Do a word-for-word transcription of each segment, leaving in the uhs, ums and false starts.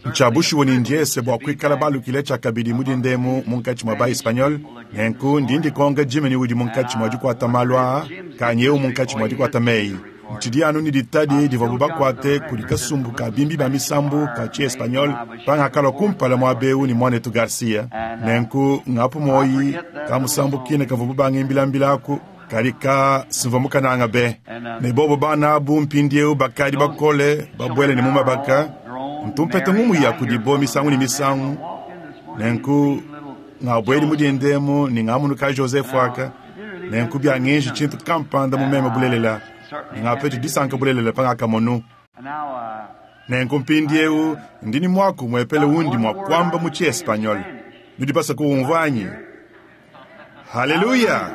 Ncya bushuwa ne ndyese bwa kwikala balukile cyakabidi mu dinda emu munkaci mwa ba-Espagnol. Nenku ndi ndikonka Jimmy ni udi munkaci mwa dikwata maalu aa, kanyi ewu munkaci mwa dikwata meyi. Ncidi anu ne ditadi divwabo bakwate kudi kasumbu kaa bimbi baa misambu kaa ci-Espagnol pangakalwa kumpala mwaba ewu ne Mwanetu Garcia. Nenku ngapu mwoyi kaamusambu kiine kavwabo bangimbilambila aku, kadi kaa simvwa mukananga be. Ne bobo bana abu mpindyewu bakaadi bakole, babwele ne mu mabaka. Ntu mpeta ngumu ya kudibo misangu ne misangu. Nenku ngabwedi mu dinda emu ne ngamunu ka Joseph aka, nenku byangenji cintu kampanda mu meme bulelela, ne ngapeti disanka bulelela pangakamonu. Nenku mpindyewu ndi ne mwaku umwepele undi mwa kwamba mu ci-Espagnol. Nudi baswe kuwumvwa anyi? Haleluya!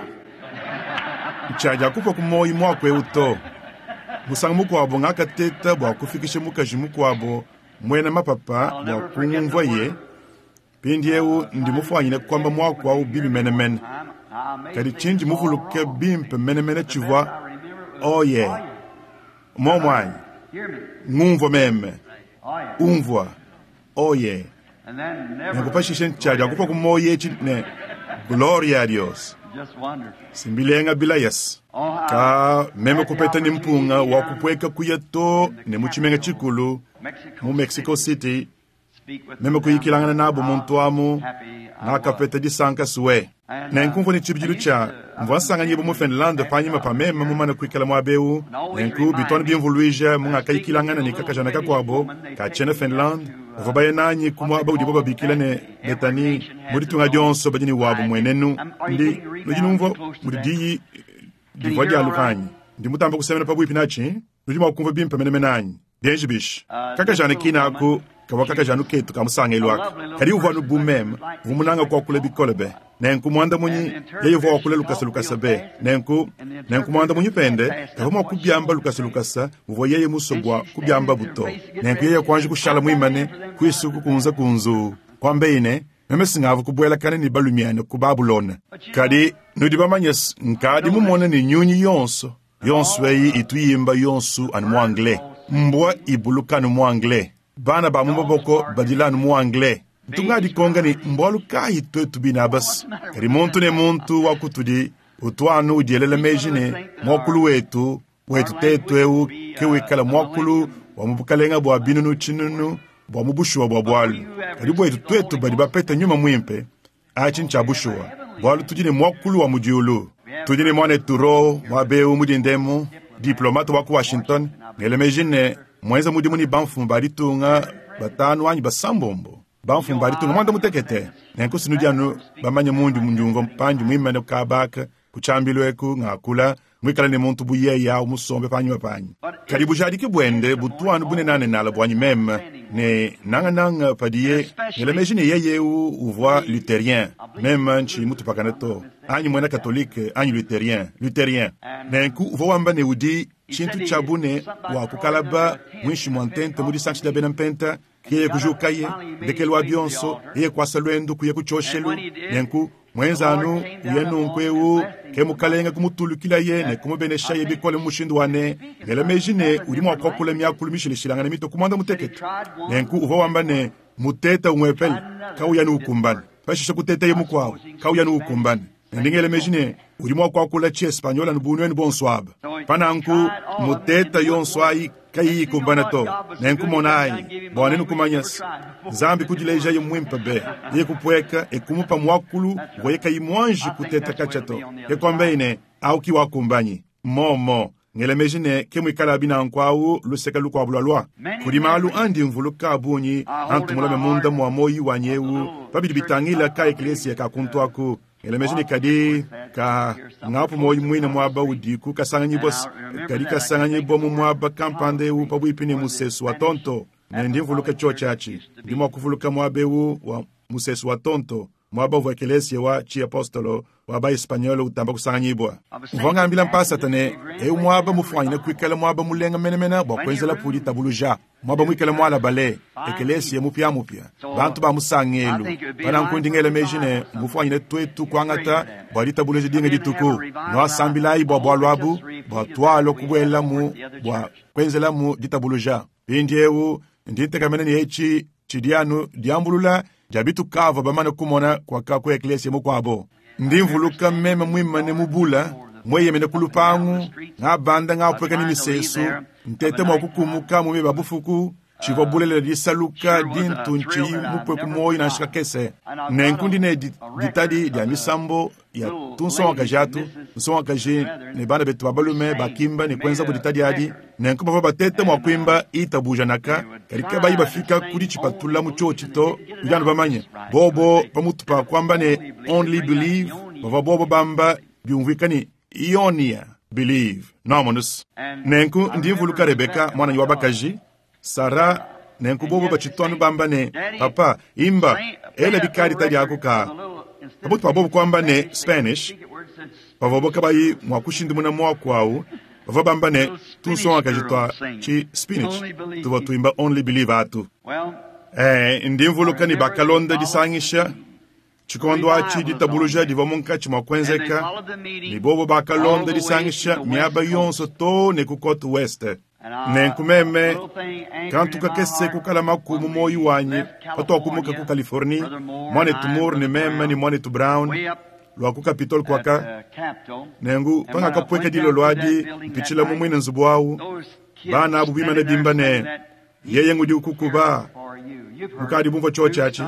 Ncyadya kupwa ku mwoyi mwaku ewu to. Musangu mukwabo ngakateta bwa kufikisha mukaji mukwabo mwena mapapa bwa kungumvwaye. Mpindyewu ndi mufwanyine kwamba mwaku awu bibi menemene. Kadi cindi muvuluke bimpe menemene civwa, Oye! Mwomo anyi? Ngumvwa meme. Umvwa. Oye! Nenku pashishe ncyadya kupwa ku mwoyi eci ne, Gloria a Dios. Simbilenga bilayas. Kaa, meme kupeta ne mpunga wa kupweka kuya too ne mu cimenga cikulu, mu Mexico City, meme kuyikilangana naabo muntu amu, ngakapeta disanka swe. Nenku mvwa ne ciibidilu cya, mvwa nsanganyiibwa mu Finlande paanyima pa meme mumane kwikala mwaba ewu, nenku bitu anu bimvulwija mungakayikilangana ne kakajana kakwabo ka cyena Finlande bavwa baya naanyi ku mwaba udibo babiikila ne Bethany. Mu ditunga dyonso badi ne wabo mmwenenu. Ndi, nudi nuumvwa mudi diyi divwa dyaluka anyi? Ndi mutambe kusemena pabwipi naaci. Nudi mwa kuumvwa bimpe menemene anyi? Byenji bishi? Kakajana kiine aku kavwa kakajanu keetu ka musangeelu aka, kadi uvwa anu bu meme, uvwa munange kwakula bikole be. Nenku mwandamunyi, yeye uvwa wakula lukasalukasa be. Nenku, nenku mwandamunyi pende kavwa mwa kubyamba lukasalukasa muvwa yeye muswe bwa kubyambabu to. Nenku yeye kwanji kushala mwimane, kwisu kukunzakunzuu, kwambaye ne, Meme singavwa kubwelakana ne balumyane ku Babulona. Kadi nudi bamanye's, nkaadi mumone ne nyunyi yonso, yonso eyi itu yimba yonso anu mu anglais. Mbwa ibuluka anu mu anglais. Bana ba mu maboko badila anu mu anglais. Ntu ngadikonka ne, Mbwalu kaayi twetu bine aba's? Kadi muntu ne muntu wa kutudi utu anu udielela meji ne, mwakulu wetu, wetu tetu ewu ke wikala mwakulu wa mu bukalenga bwa binunu tshinunu bwa mu bushuwa bwa bwalu. Kadi bwetu twetu badi bapeta Nyuma Mwimpe, aci ncya bushuwa, bwalu tudi ne mwakulu wa mu dyulu. Tudi ne Mwanetu Rowe mwaba ewu mu dinda emu, diplomate wa ku Washington, ngela meji ne mwenza mudimu ne bamfumu ba ditunga batanu anyi basambombo, bamfumu ba ditunga mwanda-mutekete. Nenku s'nudi anu bamanye mundi ndyumvwa pandi mwimane kaaba aka ku cyambilu eku ngakula, mwikale ne muntu bu yeye awu musombe paanyima paanyi. Kadi bujaadiki bwende butu anu bunenaanenaala bwanyi meme, ne nangananga padiye ngela meji ne yeye ewu uvwa Lutherien, meme nciyi mutupakane to, anyi mwena Katolike anyi Lutherien, Lutherien. Nenku uvwa wamba ne udi cintu cya bu ne wa kukalaba mwinshi mwa ntenta mu disangisha dya bena Mpenta, ke yeye kujuukaye, ndekelu wa byonso, yeye kwasa lwendu kuya ku cyoshelu. Nenku mwenza anu uya nunku ewu, ke Mukalenge kumutulukilaye ne kumubeneshaye bikole mu mushindu wa ne, ngela meji ne udi mwa kwakula myakulu mishileshilangane mitwe ku mwanda-mutekete. Nenku uvwa wamba ne, Muteta umwepele kawuyi anu ukumbana. Pashishe kutetaye mukwabo, kawuyi anu ukumbana. Ne ndi ngela meji ne udi mwa kwakula ci-Espagnol anu bu nwenu bonso aba. Pa nanku, muteta yonso ayi kayiyi ikumbana to. Nenku monaayi, bwa nwenu kumanya's, Nzambi kudileejaye mwimpe be, yeye kupweka e kumupa mwakulu uvwaye kayi mwanji kuteta kacya to. Ke kwambaye ne, Awu ki wakumbanyi. Mmomo. Ngela meji ne ke mwikalabi nanku awu luseke lukwabo lwalwa. Kudi maalu andi mvuluka a bungi antu mulame munda mwa mwoyi wanyi ewu pa bidi bitangila ka-ekeleesiya ka kuntu aku. Ngela meji ne kadi ka ngapu mwoyi mwine mwaba udiku kasanganyibwa's, kadi kasanganyibwa mu mwaba kampanda ewu pabwipi ne musesu wa tonto. Ne ndi mvuluka cyoci aci. Ndi mwa kuvuluka mwaba ewu wa musesu wa tonto, mwaba uvwa ekeleesiya wa ciapostolo wa ba-Espagnol utamba kusanganyibwa. Mvwa ngambila mpaasata ne, Eu mwaba mufwanyine kwikala mwaba mulenga menemene bwa kwenzelapu ditabuluja, mwaba mwikale mwalabale, ekeleesiya mupyamupya, bantu ba musangeelu. Pa nanku ndi ngela meeji ne mbufwanyine twetu kwangata bwa ditabuluja dinga dituku. Nwasambilaayi bwa bwalu abu, bwa twalwa kubwelamu bwa kwenzelamu ditabuluja. Mpindyewu ndi ntekemena ne eci Tshidi anu diambulula dia bitukavua bamane kumona kuaka ku ekleziya mukuabo. Ndi mvuluka meme muimane mu bula, mueyemene ku lupangu, ngabanda ngapueka ne misesu, ntete mua kukumuka mu meba bufuku, tshivua bulelela disaluka dintu ntshiyi mupue ku muoyo nansha kakese. Nenku ndi ne ditadi dia misambo ya tunsongakaji atu, nsongakaji ne bana betu ba balume bakimba ne kuenzabu ditadi adi. Nenku bavua batete mua kuimba itabuja naka, kadi kabayi bafika ku ditshipatula mu tshiotshi to. Nudi anu bamanye bobo pamutu pa kuamba ne only believe, bavua bobo bamba biumvuika ne ionia believe nomonus. Nenku ndi mvuluka Rebeka mwananyi wa bakaji Sara, nenku bobo batshitu anu bamba ne papa imba ela bikadi tadi ako ka pamutu pa bobo kuamba ne Spanish, pavua kabayi mua kushindumuna muaku awu, bavua bamba ne tunsongakaji tua tshi spinach tuvua tuimba only believe atu. Eh, ndi mvuluka ne bakalonda disangisha tshikondo atshi ditabuluja divua munkatshi mua kuenzeka, ne bobo bakalonda disangisha miaba yonso to ne ku Côte Ouest. Nenku meme kantu kakese kukalamaku mu moyo wanyi patuakumuka ku Californie, mwanetu Moore ne meme ne mwanetu Brown lua ku Capitol kuaka. Nengu pangakapueka dilolo adi mpitshila mu muine nzubu awu, bana abu bimane bimba ne yeye ngudi ukukuba mukadi bumvua tshiotshi atshi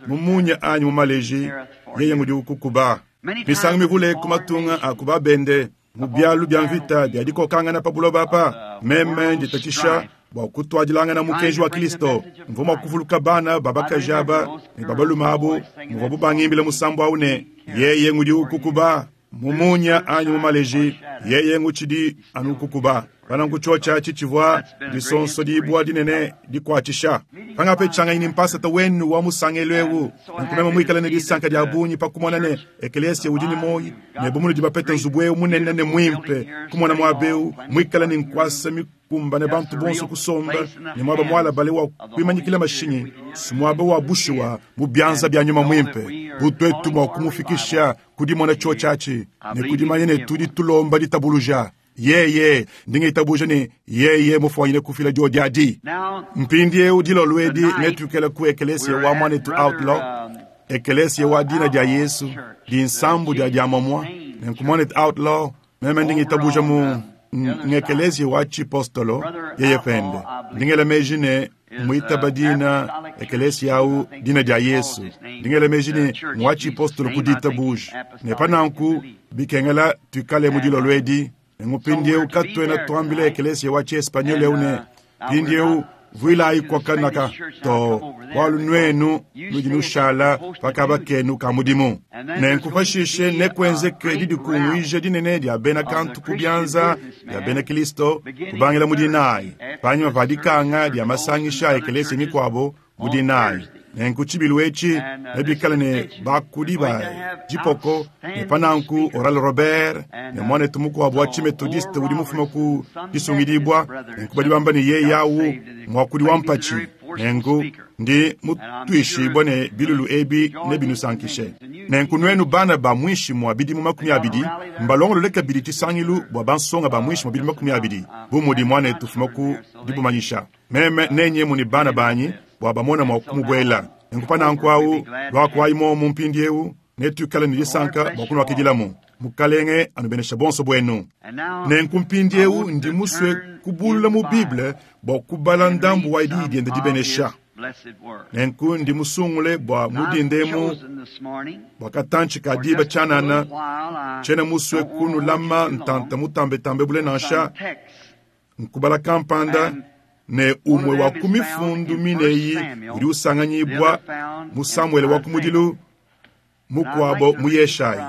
mu munya anyi mu maleji, yeye ngudi ukukuba. Misangu mivule ku matunga a ku babende mu bialu bia mvita bia dikokangana pa buloba apa, meme nditatshisha bua kutuadilangana mukenji wa Kristo. Mvua mua kuvuluka bana babakaji aba ne babalume abu muvuabu bangimbila musambu awu ne yeye ngudi ukukuba mu munya anyi mu maleji, yeye ngutshidi anu ukukuba. Pananku tshiotshi atshi tshivua disonso dibua dinene dikuatshisha. Pangapetshanganyi ne mpasata wenu wa musangelo ewu, nenku meme muikale ne disanka dia bungi pa kumona ne eklesia udi ne moyi, ne bu munudi bapete nzubu ewu munene ne muimpe, kumona muaba ewu muikale ne nkuasa mikumbane bantu bonso kusomba, ne muaba mualabale wa kuimanyikila mashinyi, si muaba wa bushuwa mu bianza bia nyuma muimpe, bu tuetu mua kumufikisha ku dimona tshiotshi atshi ne ku dimanya ne tudi tulomba ditabuluja. Yeye ndinge itabuja ne yeye mufuanyine kufila diodi adi. Mpindieu dilolo edi netuikale ku eklesia wa mwanetu Outlaw, eklesia wa dina dia Yesu dinsambu dia diamomua. Nenku mwanetu Outlaw meme ndinge itabuja mu ngekelesia wa chipostolo yeye pende ndingela meji ne muitaba dina ekelesia au dina dia Yesu, ndingela meji ne mwa chipostolo kuditabuja ne pananku bikengela tuikale mu dilolo edi. Ngupindieu katuena tuambila ekelesia wa chiespanyol eu ne pindieu vuilayi kuakanaka to bualu nuenu nudi nushala pakaba kenu ka mudimu. Nenku pashishe nekuenzeke didikunguija dinene dia bena kantu ku bianza bia bena Kristo kubangila mu dinayi panyima pa dikanga dia masangisha a ekelesia mikuabo mu dinayi. Nenku tshibilu etshi nebikale ne bakudi ba dipoko ne pananku Oral Robert ne mwanetu mukuabu wa chimetodiste udi mufume ku disungidibua. Nenku badi bamba ne yeye awu muakudi wa mpatshi. Nenku ndi mutuishibua ne bilulu ebi nebinusankishe. Nenku nuenu bana ba muinshi mua bidimu makumi abidi mbalongolole kabidi tshisangilu bua bansonga ba muinshi mua bidimu makumi abidi bu mudi mwanetu fuma ku dibumanyisha. Meme nenyemu ne bana banyi bua bamona mua kumubuela. Nenku pananku awu luakuayi momu mpindieu netuikale ne disanka bua kunuakidilamu. Mukalenge anubenesha bonso buenu. Nenku mpindieu ndi musue kubulula mu Bible bua kubala ndambu wa diyi diende dibenesha. Nenku ndi musungule bua mudindemu bua katantshi ka diba tshianana, tshiena musue kunulama ntanta mutambetambe bule nansha nkubala kampanda ne umwe wa ku mifundu mineyi udi usanganyibwa mu Samuele wa kumudilu mukuabo mu Yeshayi.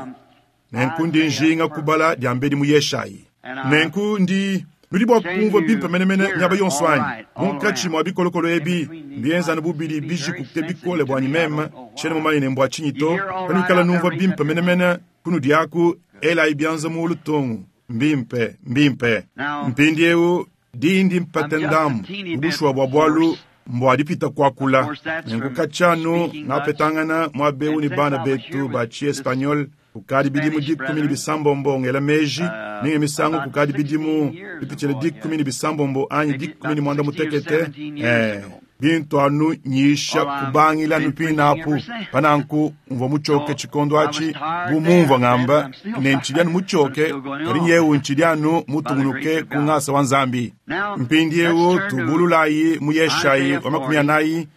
Nenku ndi njinga kubala diambedi mu Yeshayi. Nenku ndi nudi bua kumvua bimpe menemene miaba yonso anyi munkatshi mua bikolokolo ebi mbienzanu bubidi bijikuke bikole buanyi meme tshiena mumanye ne mbua tshinyi to. Panuikala numvua bimpe menemene kunudi aku elayi bianza mu lutongo mbimpe mbimpe. Mpindieu dindi mpate ndambu ubushuwa bua bualu mbua dipita kuakula. Nenku katshianu ngapetangana muabeu ne bana betu ba chiespanyol kukadi bidimu dikumi ne bisambombo ngela meji ninge misangu kukadi bidimu bipitshile dikumi ne bisambombo anyi dikumi ne mwanda mutekete eh, Bintu anu nyisha Well, I've kubangila been anu preaching pinapu ever since. pananku mvua muchoke So, tshikondo I was atshi tired bu mumvua there, ngamba and I'm still ne ntshidi anu tired, but I'm muchoke still going kadi on. nyewu ntshidi anu By the mutungunuke grace of ku God. ngasa wa Nzambi. Now, Mpindiewu let's turn to tubululayi mu Yeshayi Isaiah wa makumi forty, anayi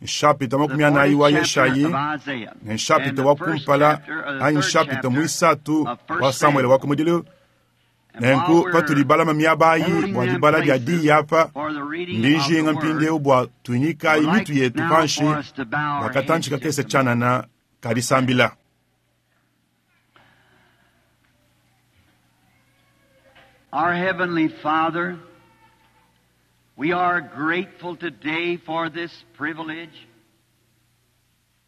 nshapita the makumi anayi fortieth wa chapter Yeshayi of Isaiah, ne and nshapita the wa first kumpala chapter, or the anyi third nshapita chapter muisatu of wa First Samuele Samuel. wa kumudilu. And while Nenku patudi we're balama miaba ayi holding bua them dibala dia places diyi apa for the reading of the ndijinga word, mpindiewu bua I tunyikayi would mitu like yetu now panshi for us to bow our bua katantshi heads kakese just a moment. tshianana kadisambila. Our Heavenly Father, we are grateful today for this privilege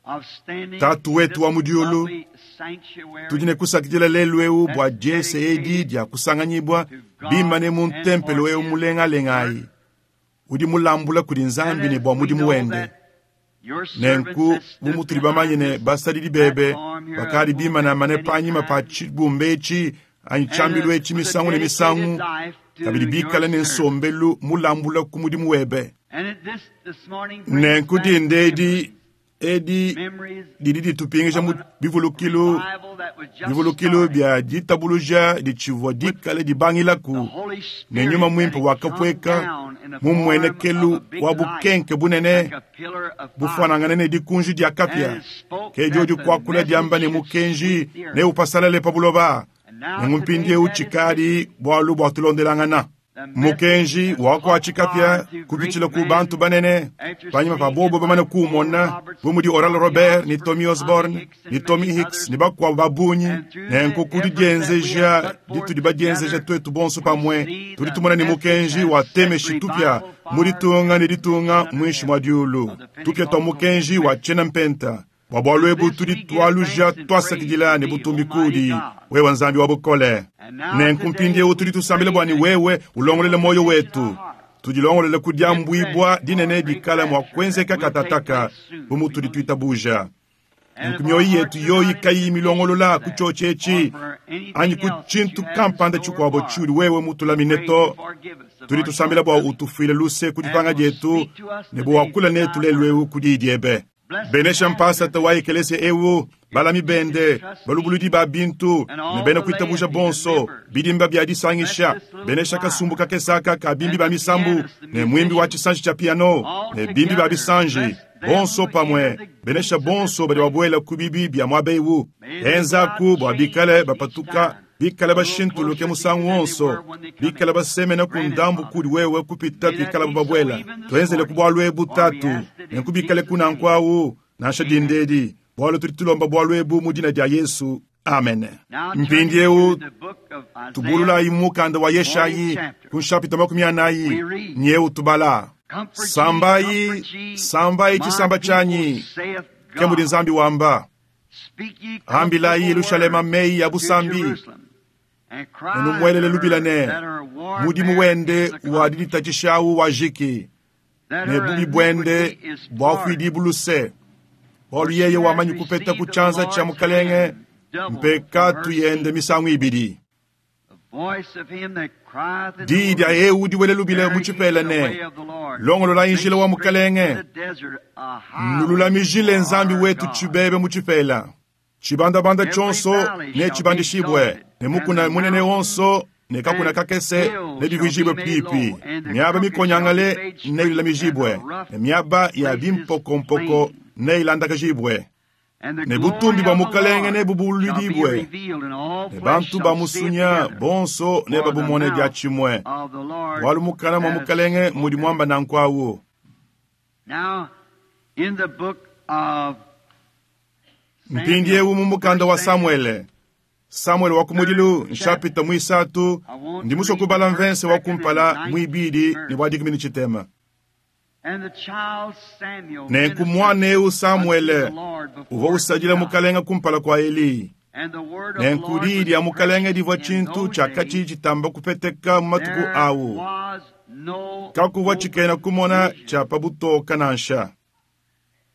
of standing Tatu in wetu this wa mu diulu, lovely sanctuary tudi ne kusakidila lelu ewu bua that's diese edi dedicated dia kusanganyibua to God bimane mu and ntempelo for ewu His mulengalengayi work. udi mulambula kudi And Nzambi ne as bua we mudimu know wende. that your servants Nenku that bu stood mutudi bamanye behind ne this basadidi bebe platform here a bakadi pulpit bimanamane many panyima pa times, tshibumba etshi anyi and tshiambilu uh, etshi with a misangu ne dedicated misangu life to kabidi your bikale ne service. nsombelu mulambula ku mudimu webe. And it, this this morning brings Nenku back dinda edi memories, edi memories didi ditupingisha of mu an bivulukilu revival that was just bivulukilu starting bia ditabuluja ditshivua with dikale dibangilaku the Holy ne Spirit nyuma that muimpe had come wakapueka down in the mu form of mmuenekelu a big wa light, bukenke bunene like a pillar of fire, bufanangane ne dikunji dia and kapia it spoke ke that diodi the kuakula message diamba ne should mukenji sweep the earth. ne upasalale pa buloba. And now Nenku today mpindiewu that is tshikadi finished. bualu bua tulondelangana. The message Mukenji has wa caught kuatshi fire kapia through great kupitshila ku men bantu banene after panyima pa seeing bobo it bamane like Oral kuumona Roberts, bu mudi Oral Tommy Robert ni Osborne, Tommy Tommy Osborne Hicks, ni and Tommy many Hicks others. ni bakuabu ba bungi. And through the Nenku ku efforts that we have didienzeja put forth ditudi badienzeja together, twetu bonso we pamue see tudi the tumona ne message mukenji has wa set temeshi tupia revival mu fires ditunga ne in ditunga under muinshi mua heaven diulu of the tupia tua Pentecostal mukenji wa message. tshiena mpenta. Bua bualu To ebu this tudi we give tualuja thanks and praise twasakidila to ne thee, butumbi Almighty kudi God. wewe Nzambi wa bukole. And now Nenku today mpindiewu we tudi tusambila pray bua ne that wewe ulongolele you will moyo position our wetu hearts tudilongolele ku to get ready diambuibua for a dinene great dikala mua rapture that kuenzeka will take katataka place soon, bu we mutudi believe. tuitabuja. And Nenku if our mioyo hearts yetu are yoyi not in kayiyi position milongolola for ku that, tshiochi or etshi for anyi anything ku else that tshintu you have in kampanda store tshikuabo for us, tshiudi wewe we mutulamine pray to you forgive us of tudi our tusambila bua shortcomings utufuile luse ku and dipanga will dietu speak to us ne today bua wakula through netu thy lelu word. ewu ku diyi diebe. Bless the Benesha pastor mpasata wa ekelesia ewu his, balami his bende balubuludi trustees, ba bintu and ne all bena the kuitabuja laity, the bonso members. bidimba bia Bless disangisha. this little Benesha choir kasumbu kakesaka ka bimbi and ba the misambu pianist, the ne mwimbi wa musicians, tshisanji tshia piano all ne bimbi ba together. bisanji Bless them bonso who enter pamue. the Benesha gates of this bonso badi place. babuela ku bibi bia muaba ewu. May they go Enzaku out bua bikale changed each bapatuka time, bikale a little bashintuluke closer to musangu you than they wonso were when they come bikale in. basemena ku Grant it, ndambu Father. kudi wewe kupita May that pikala be so babuela. even this Tuenzele ku morning, bualu ebu for we tatu ask it in nenku bikale Jesus' kunanku name. awu nansha Amen. dindedi bualu tudi tulomba bualu ebu mu dina dia Yesu amen. Now turning Mpindiewu to the book of Isaiah, tubululayi mu mukanda wa fortieth Yeshayi chapter, ku nshapita makumi anayi we read, nyewu tubala. Comfort ye, Sambayi comfort ye, sambayi my tshisamba people, tshianyi saith ke mudi God. Nzambi wamba. Speak ye Ambilayi comfortable Yelushalema words meyi ya to busambi Jerusalem, and cry unto nenumuelele lubila her ne that her mudimu warfare wende is wa accomplished, diditatshishawu wajiki that ne her bubi bwende iniquity is pardoned. bwafuidi buluse. Bualu For she yeye has wamanyi kupeta ku received of the tshianza tshia Lord's mukalenge hand double for her mpekatu yende sin. misangu ibidi. The voice of him that crieth in the Diyi dia wilderness, ewu diwele lubila mu Prepare ye tshipela the ne way of the Lord, longolola make injila wa straight in mukalenge the desert a highway nululamijile for Nzambi our wetu God. tshibebe mu tshipela. Tshibandabanda Every tshionso valley ne shall be tshibandishibwe exalted, ne and mukuna the munene mountains wonso ne kakuna and kakese hills ne shall be bivijibwe made pipi. low, and the Miaba crooked shall be mikonyangale made ne straight, and the ilulamijibwe rough ne miaba ya places bimpokompoko plain. ne ilandakajibwe. And the Ne glory butumbi bua of the mukalenge Lord ne shall be bubululidibwe revealed, and all ne flesh bantu ba shall see it musunya together. bonso ne For the babumone dia mouth tshimue. of the Lord Bualu mukana mua hath mukalenge mudi spoken. muamba nanku awu. Now, in the book of Samuel, Mpindiewu mu mukanda First wa Samuel, Samuele Samuele wa kumudilu third chapter, nshapita muisatu I want ndi to musue read the kubala first, mvense wa second, and kumpala nineteenth muibidi ne verse. bua dikumi ne tshitema. And the child Samuel Nenku ministered muana ewu unto Samuele the Lord uvua before usadila Eli. mukalenga kumpala kua Eli. And the word of the Nenku Lord diyi was dia mukalenga precious divua in tshintu those tshiakatshi days. tshitamba kupeteka mu matuku There awu. was no Kakuvua tshikena open kumona vision. tshia pa butoka nansha.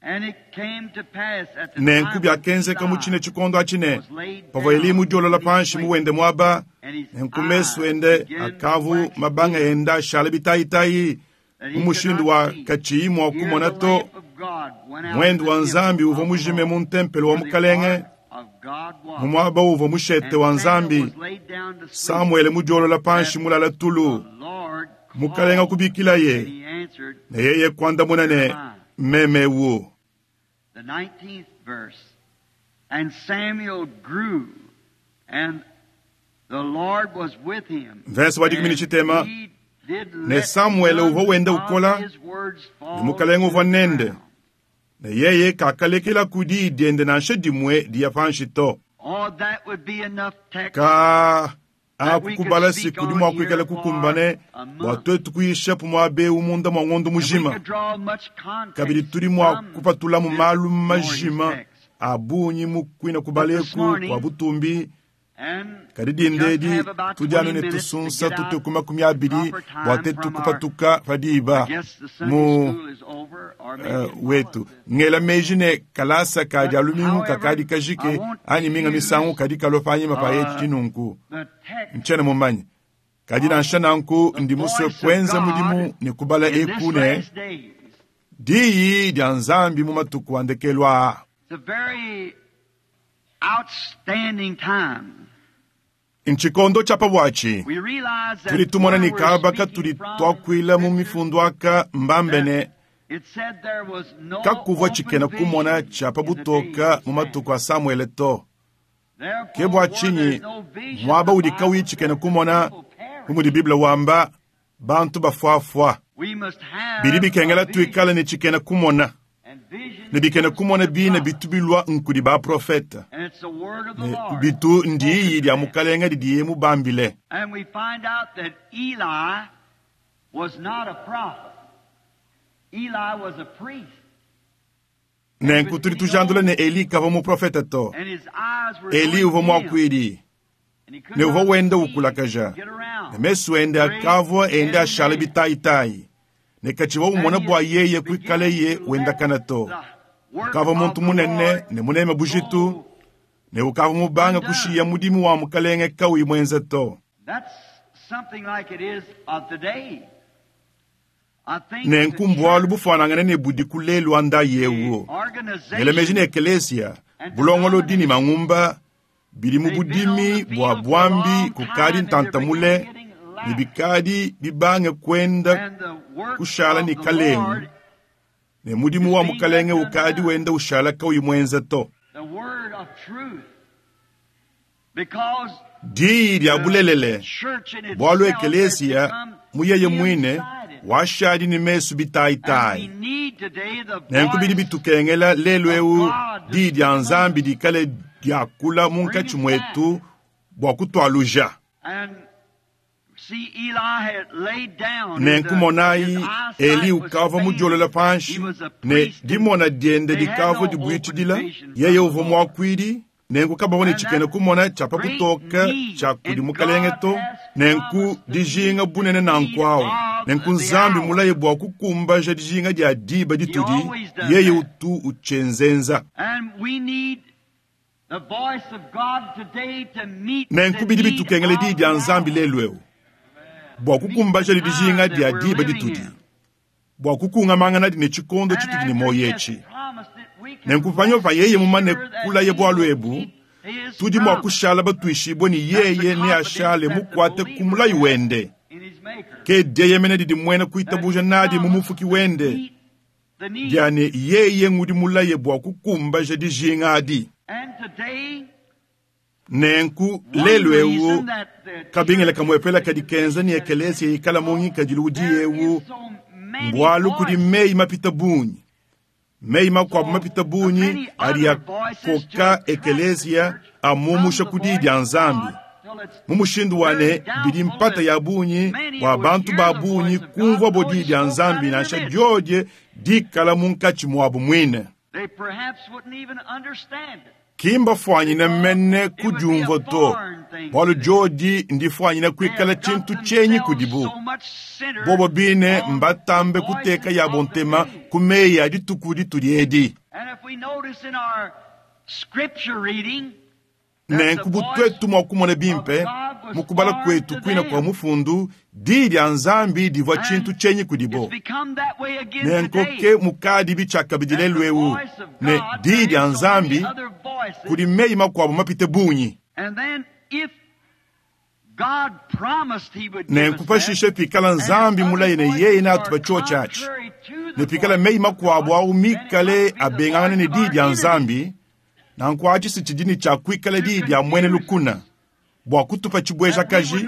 And it came to pass at the Nenku time when biakenzeka mu Eli tshine tshikondo atshine was laid pavua Eli down mudiolola in his panshi mu place, wende muaba and his nenku mesu eyes ende began to akavu wax mabanga dim, enda ashala bitayitayi Mu mushindu wa katshiyi mua kumona to, muendu wa Nzambi uvua mujime mu ntempelo wa Mukalenge, mu muaba uvua mushete wa Nzambi. Samuele mudiolola panshi mulala tulu, Mukalenge kubikilaye, ne yeye kuandamuna ne, meme wu. The nineteenth verse. And Samuel grew, and the Lord was with him. Verse wa dikumi ne tshitema, And he did ne let Samuele none uvua wenda of ukola, his words fall ne Mukalenge to uvua the nende. ground. Ne yeye kakalekela ku diyi diende nansha dimue diya panshi to. Oh, that would be enough text. Ka aku kubala siku di mua kuikala kukumbane bua tuetu kuyisha pu muaba eu munda mua ngondo And we mujima. could draw much context Kabidi tudi mua from kupatulamu this malu glorious majima text. a bungi mu kuina kubaleku kua butumbi. And Kadi dinde just edi have about tudi anu twenty ne minutes to tusunsa get out tutue ku makumi abidi proper time bua tetu from our- kupatuka pa diba I guess the Sunday mu school is over, or maybe uh, it wetu follows this. ngela meji ne kalasa ka dia lumingu However, kakadi kajike I want anyi minga to misangu use, kadi kalua panyima pa uh, eci nunku The text ntshiena mumanye kadi nansha nanku the ndi musue voice of kuenza God mudimu ne kubala in this eku ne last days. diyi dia Nzambi mu matuku a ndekelu aa. It's a very outstanding time. Ntshikondo tshia pa buatshi We realize that tudi tumona where ne we're kaba speaking katudi from tuakuila mu in mifundu aka mbambe ne It said there was no kakuvua open tshikena kumona vision tshia pa in the butoka days mu of matuku a Samuele to. Therefore, Ke bua where tshinyi there's no vision, muaba the udi Bible kauyi says tshikena the kumona people perish. bu mudi Bible wamba bantu bafuafua. We must have Bidi bikengela a vision, tuikale ne tshikena kumona and vision ne bikena comes kumona from bina the prophet. bitu bilua nkudi baprofeta And it's the word of the ne Lord bitu ndiyi dia spoken to them. Mukalenga didiye mubambile. And we find out that Eli was not a prophet. Eli was a priest. Nenku tudi tujandula ne Eli kavua muprofeta to. And his eyes were Eli going uvua dim, muakuidi and he could ne uvua not wenda see, ukulakaja. get around. Ne mesu ende akavua ende ashala bitayitayi ne katshivua umona bua yeye kuikaleye wendakana to. Ukavua muntu munene ne muneme bujitu ne ukavua mubanga kushiya mudimu wa Mukalenge kauyi muenza to. That's something like it is of today. I think Nenku the mbualu church, bufuanangane ne budi ku lelu anda yewu. the organization, Ngela meji ne ekelesia bulongolodi ne mangumba bidi mu budimi bua buambi kukadi ntantamule ne bikadi bibange kuenda and the work kushala of ne the kalengu Lord, ne mudimu wa Mukalenge ukadi wenda ushala kauyi muenza to. the word of truth. Because Diyi dia bulelele the church in itself bualu has ekelesia become mu yeye muine dim-sighted. washadi ne mesu And we bitayitayi. need today the Nenku bidi voice bitukengela lelu eu diyi dia Nzambi dikale diakula munkatshi muetu bua kutualuja. And see, Eli had laid down. Nenku and the- monayi his eyesight Eli was ukavua failing. mudiolola panshi He was a ne priest and dimona diende they had dikavua no dibuitshidila open vision yeye from the uvua Lord. muakuidi nenku kabavua ne And tshikena that kumona tshia pa great butoka need, tshia kudi and Mukalenge God to has nenku promised to dijinga meet bunene the nanku need awu of nenku the Nzambi hour. mulaye bua kukumbaja dijinga dia diba He ditudi always does yeye that. utu utshienzenza. And we need the voice of God today to meet Nenku the bidi need bitukengela of diyi dia the Nzambi hour. lelu eu bua Meet the kukumbaja time dijinga that dia we're diba living ditudi in. bua kukungamanganadi ne tshikondo And tshitudi ne after moyo he has etshi. promised it, we can Nenku panyima pa rest yeye mumane sure that kulaye he bualu will ebu keep his tudi mua promise. kushala batuishibue ne That's the yeye confidence neashale that the mukuate ku believer mulayi has wende. in his Maker. Ke dieyemena didi muena That kuitabuja he nadi mu promised mufuki to wende meet the need. dia ne yeye ngudi mulaye bua kukumbaja dijinga adi. And today, Nenku one lelu eu reason that the kabingila church kamuepela is kadi in kenza ne that it ekelesia is, ikala mu ngikadilu udi there eu is so many mbualu kudi voices, meyi mapita bungi meyi makuabu so mapita bungi many adi other voices to akoka attract the ekelesia church from amumusha the ku diyi voice dia of Nzambi God till it's mu mushindu wa very ne bidi doubtful mpata that ya bungi many bua would bantu hear ba the bungi voice of God kumvua bo though diyi it dia spoke out Nzambi in their nansha midst. diodie dikala munkatshi muabu muine. They perhaps wouldn't even understand it Kimbafuanyine because mene it would be a kudiumvua to foreign thing to bualu them. diodi ndifuanyine They kuikala have got tshintu tshenyi themselves kudibu. so much centered Bobo bine on the mbatambe kuteka voices yabo of the ntema day. ku meyi a dituku ditudi edi. And if we notice in our scripture reading, Nenku bu tuetu mua kumona bimpe mu kubala kuetu kuina kua mufundu, diyi dia Nzambi divua tshintu tshienyi kudibo. Nenku ke mukadi tshiakabidi lelu eu ne diyi dia Nzambi kudi meyi makuabu mapite bungi. Nenku pashishe pikala Nzambi mulaye ne yeye neatupe tshiotshi atshi, ne pikala meyi makuabu au mikale abengangana ne diyi dia Nzambi, nanku atshi si tshidi ne tshia kuikala diyi dia muena lukuna bua kutupa tshibuejakaji,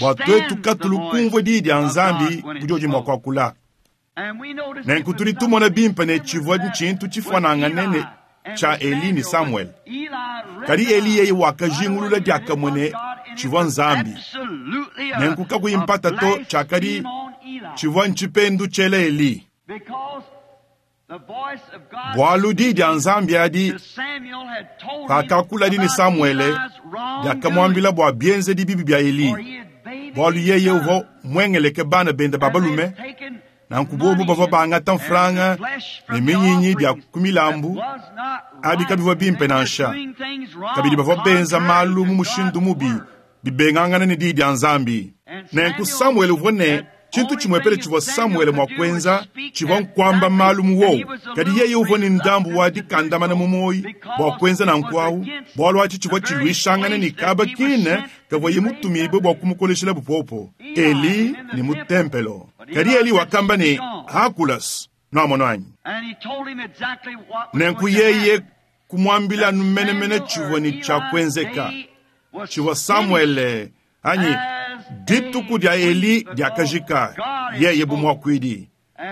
bua tuetu katulu kumvua diyi dia Nzambi budiodi mua kuakula. Nenku tudi tumona bimpe ne tshivua tshintu tshifuanangane ne tshia Eli ne Samuel. Kadi Eli yeye wakajingulula diakamue ne tshivua Nzambi. Nenku kakuyi mpata to tshiakadi tshivua ntshipendu tshiela Eli. Bualu diyi dia Nzambi adi pakakuladi ne Samuele diakamuambila bua bienzedi bibi bia Eli, bualu yeye uvua muengeleke bana bende ba balume. Nanku bobu bavua bangata mfranga ne minyinyi bia ku milambu, abi kabivua bimpe nansha. Kabidi bavua benza malu mu mushindu mubi, bibengangana ne diyi dia Nzambi. Nenku Samuele uvua ne tshintu tshimuepele tshivua Samuele mua kuenza tshivua nkuamba malu mu wowu. Kadi yeye uvua ne ndambu wa dikandamana mu muoyi bua kuenza nanku awu, bualu atshi tshivua tshiluishangana ne kaba kine kavuaye mutumibue bua kumukoleshela bupopo Eli ne mu tempelo. Kadi Eli wakamba ne hakulas nuamono anyi. Nenku yeye kumuambila anu menemene tshivua ne tshia kuenzeka tshivua Samuele anyi dituku dia Eli diakajika yeye bu muakuidi,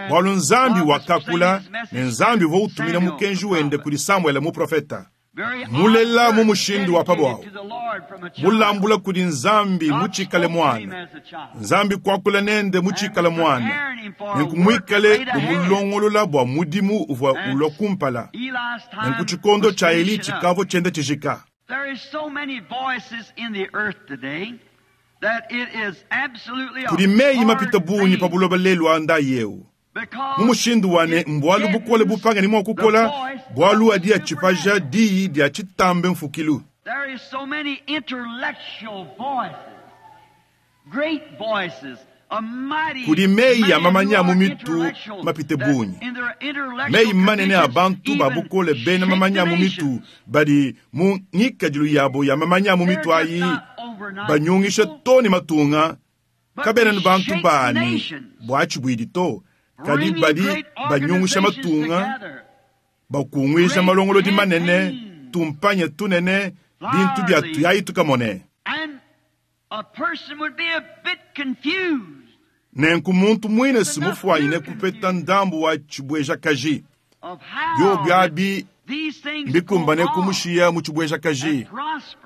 bualu Nzambi wakakula ne Nzambi uvua utumina mukenji wende kudi Samuele muprofeta. Mulela mu mushindu wa pabuawu, mulambula kudi Nzambi mutshikale mwana, Nzambi kuakula nende mutshikale mwana, nenku muikale umulongolola bua mudimu uvua ulua kumpala. Nenku tshikondo tshia Eli tshikavua tshienda tshijika. Kudi meyi mapite bungi pa buloba lelu a ndayi eu. Mu mushindu wa ne mbualu bukole bupanga ne mua kukola, bualu adi atshipaja diyi dia tshitambe mfukilu. Kudi meyi ya mamanya mu mitu mapite bungi, meyi manene a bantu ba bukole bena mamanya mu mitu badi mu ngikadilu yabo ya mamanya mu mitu ayi banyungisha to ne matunga kabena ne bantu bani bua tshibuidi to, kadi badi banyungisha matunga bakunguisha malongolodi manene tumpanye tunene bintu bia tuyayi tukamone. Nenku muntu muine simufuanyine kupeta ndambu wa tshibuejakaji biobi abi mbikumbane kumushiya mu tshibuejakaji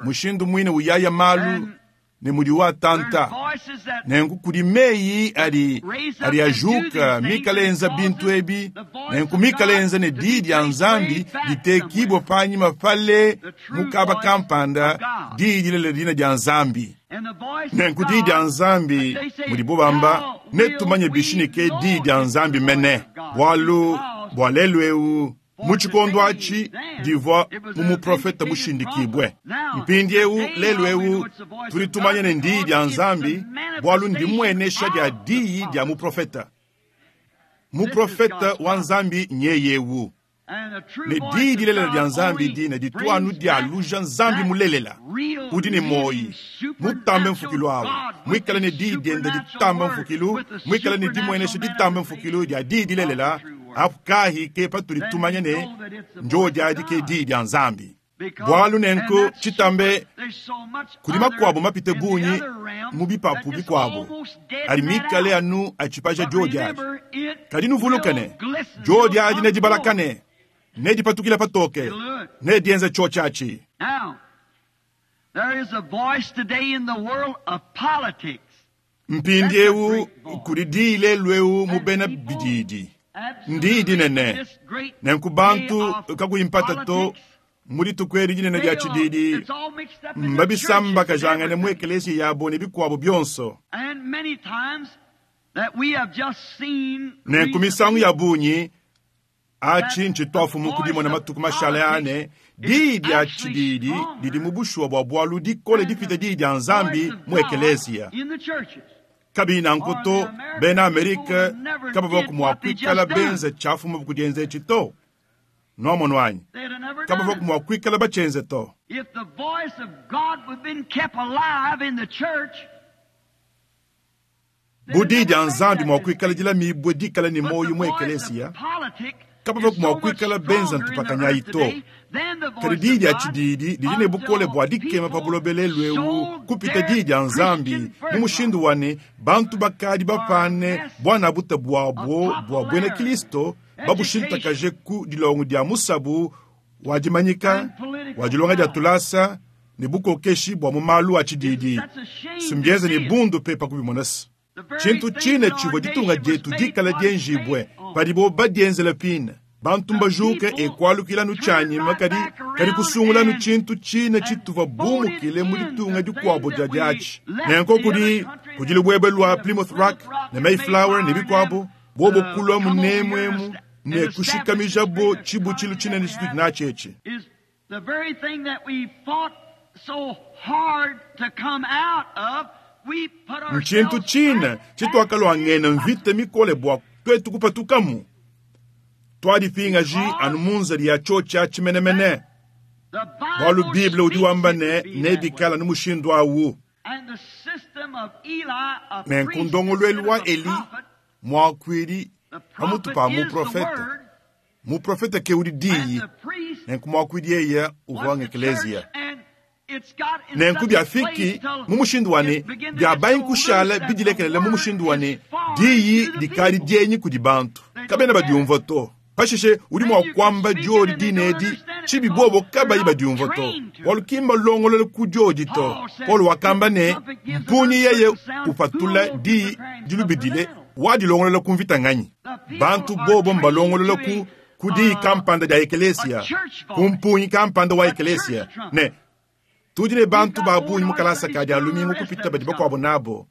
mushindu muine uyaya malu ne mudi watanta. Nenku kudi meyi adi adi ajuka mikalenza bintu ebi, nenku mikalenza ne diyi dia Nzambi ditekibwa panyima pale mukaba kampanda diyi dilela dina dia Nzambi. Nenku diyi dia Nzambi mudibo bamba netumanye bishinike diyi dia Nzambi mene, bualu bua lelu eu mu tshikondo atshi divua mu muprofeta mushindikibwe. Mpindiewu lelu eu tudi tumanya ne ndiyi dia Nzambi, bualu ndimuenesha dia diyi dia muprofeta. Muprofeta wa Nzambi nyeyewu. Ne diyi dilelela dia Nzambi dina dituanu dia luja Nzambi mulelela udi ne moyi mutambe mfukilu awu muikale ne diyi diende ditamba mfukilu, muikale ne dimuenesha ditamba mfukilu dia diyi dilelela. Apu kahi ke patudi tumanya ne njodi adi ke diyi dia Nzambi. Bualu nenku tshitambe kudi makuabu mapite bungi mu bipapu bikuabu adi mikale anu atshipaja jodi adi. Kadi nuvuluke ne jodi adi nedibalakane nedipatukila patoke nedienza tshiotshi atshi. Mpindiewu kudi diyi lelu eu mu bena bididi ndiyi dinene. Nenku bantu kakuyi mpata to mu dituku edi dinene dia tshididi mbabisambakajangane mu ekeleziya yabo ne bikuabo bionso. Nenku misangu ya bungi Achi ntshituafumu ku dimona matuku mashale ane diyi dia tshididi didi mu bushuwa bua bualu dikole dipita diyi dia Nzambi mu ekeleziya. Kabiyi nanku to, bena Amerika kabavua mua kuikala benze tshiafumu ku dienza etshi to. Nwamonu anyi? Kabavua mua kuikala batshienze to. If the voice of God would been kept alive in the church, Bu diyi dia Nzambi mua kuikala dilamibue dikala ne muoyo mu ekeleziya, kabavua mua kuikala benza ntupakanyayi to. Kadi diyi dia tshididi didi ne bukole bua dikema pa buloba lelu eu kupita diyi dia Nzambi mu mushindu wa ne bantu bakadi bapane buanabuta buabo bua buena Kristo babushintakaje ku dilongo dia musabu wa dimanyika, wa dilonga dia tulasa ne bukokeshi bua mu malu a tshididi. Sumbienze ne bundu pe pa kubimonasa. Tshintu tshine tshivua ditunga dietu dikala dienjibue padibo badienzela pine. Bantu mbajuke ekualukilanu tshianyima kadi kadi kusungulanu tshintu tshine tshituvua bumukile mu ditunga dikuabo dia diatshi. Nenko kudi kudi lubwebwe lua Plymouth Rock ne Mayflower ne bikuabo bobo kulua munemwemu ne kushikamijabo tshibutshilu tshinene tshitudi natshi etshi. Is the very thing that we fought so hard to come out of, we put Ntshintu ourselves tshine back tshituakalwangena mvita mikole bua twetu kupatukamu. Twalipingaji anu munzali ya tshiotshia tshimenemene. The Bualu Bible Bible udi speaks wamba it ne to be that nebikala way. nu mushindu awu. And the system of Eli, a Nenku priest ndongoluelu instead wa of a Eli prophet, muakuidi the pamutu prophet pa is the muprofete. word, Muprofete ke udi and diyi the priest nenku muakuidi yeye uvua was the ngekeleziya. church, and it's got in Nenku such a biafiki place till mu mushindu wa ne it begin to bia get so banyi kushala loose that the bidilekelela mu word mushindu wa ne is foreign diyi to the dikali people. dienyi kudi bantu kabena badiumvua to. Pashishe udi mua kuamba diodi dinedi tshibi bobo kabayi badiumvua to. Bualu ki mbalongolole ku diodi to. Paulo wakamba ne mpunyi yeye upatula diyi dilubidile wadilongolola ku mvita nganyi. Bantu bobo mbalongolola ku ku diyi kampanda dia ekelesia, ku mpunyi kampanda wa ekelesia ne tudi ne bantu ba bungi mu kalasa ka dia lumingu kupita badi bakuabo nabo.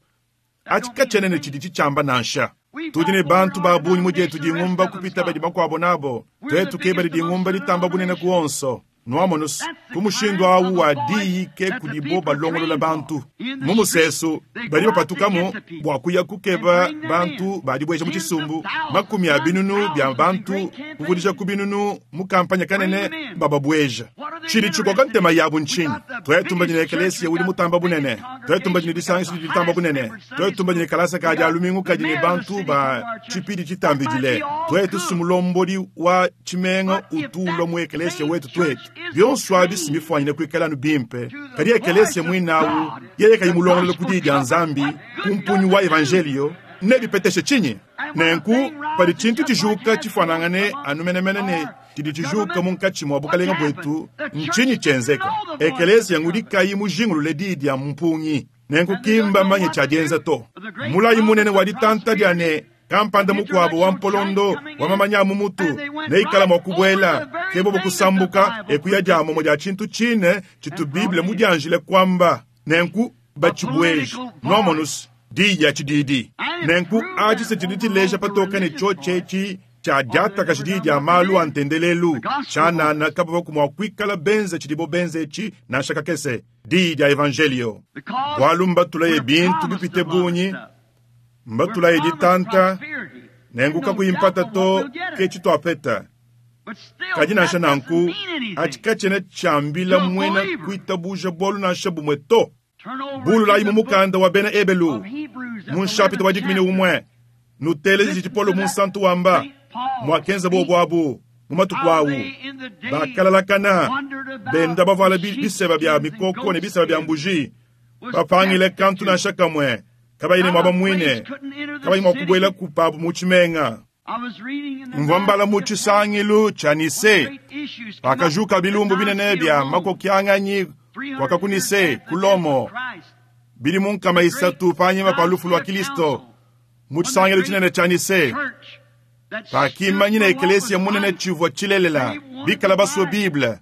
Atshi katshiena tshidi tshitshiamba nansha. Tudi ne bantu ba bungi mu dietu dingumba kupita badi bakuabo nabo. Twetu ke badi dingumba ditamba bunene ku onso. Nwamonusu ku mushindu awu wa diyi ke kudibo balongolola bantu. Mu musesu badi bapatukamu bua kuya kukeba bantu badibueja mu tshisumbu makumi a binunu bia bantu kuvudisha ku binunu mu kampanya kanene bababueja. Tshidi tshikoka ntema yabu ntshinyi? Twetu mbanyine ekelesia udi mutamba bunene. Twetu mbanyine disangisho didi ditamba bunene. Twetu mbanyine kalasa ka dia lumingu kadi ne bantu ba tshipidi tshitambidile. Twetu sumulombodi wa tshimenga utulwa mu ekelesia wetu twetu. Bionso abi simifwanyine kuikala bimpe. Kadi ekelesia mwinawu yeye kayi mulongolola ku diyi dia Nzambi ku mpunyi wa evangelio nebipeteshe tshinyi? Nenku padi tshintu tshijuka tshifanangane anu menemene ne tshidi tshijuka munkatshi mua bukalenga bwetu ntshinyi tshienzeka? Ekelesia ngudi kayi mujingulule diyi dia mpungi. Nenku kimba manye tshiadienza to. Mulayi munene wa ditanta dia ne kampanda mukuabo wa mpolondo wa mamanya mu mutu neikala mua kubuela ke bobo kusambuka ekuya dia momo dia tshintu tshine tshitu Bible mudianjile kwamba nenku batshibueje nwamonusu diyi dia tshididi. Nenku atshi se tshidi tshileja patoka ne tshiotshi tshia diataka diyi dia malu a ntendelelu tshianana kabavua mua kuikala benze tshidibo benze etshi nansha kakese diyi dia evangelio. Because Bualu mbatulaye we're bintu promised bipite a lot of bungi, stuff. mbatulaye We're promised ditanta prosperity. nenku And no kakuyi doubt mpata but to what we'll get ke it. tshituapeta. But still, Kadi nansha that doesn't nanku mean anything. atshi katshiena tshiambila To a muena believer. kuitabuja bualu nansha bumue to. Turn over Bululayi to mu the book mukanda wa bena Ebelu of Hebrews at mu the nshapita wa eleventh dikumi ne chapter. umue nuteleje tshipolo mu nsantu wamba mwakenza bobo abu mu matuku awu bakalalakana benda bavuala bi- biseba bia mikoko ne biseba bia mbuji bapangile kantu nansha kamwe kabayi ne muaba muine kabayi mua kubuela kupabu mu tshimenga. Mvua mbala mu tshisangilu tshia Nise pakajuka bilumbu binene bia makokianganyi kwakakunise kulomo bili mu nkama isatu panyima pa lufu lua Kristo mu tshisangilu tshinene tshia Nise pakimanyina ekelesia munene tshivua tshilelela bikala basue Bible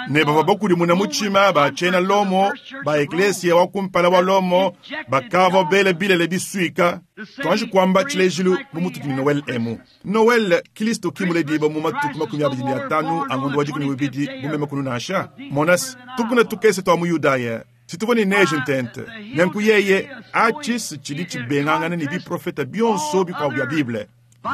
Ne bavua bakudimuna mutshima ba tshiena Lomo ba eklesia wa kumpala wa Lomo bakavua bela bilele bisuika. Tuanji kuamba tshilejilu bu mutudi ne Noel emu. Noel Kristo ki muledibua mu matuku makumi abidi ne atanu a ngondo wa dikumi ne muibidi bu meme kunu nansha. Monas, tukuna tukese tua mu Yudaya situvua ne neige ntente. Nenku yeye atshi tshidi tshibengangana ne biprofeta bionso bikuabu bia Bible.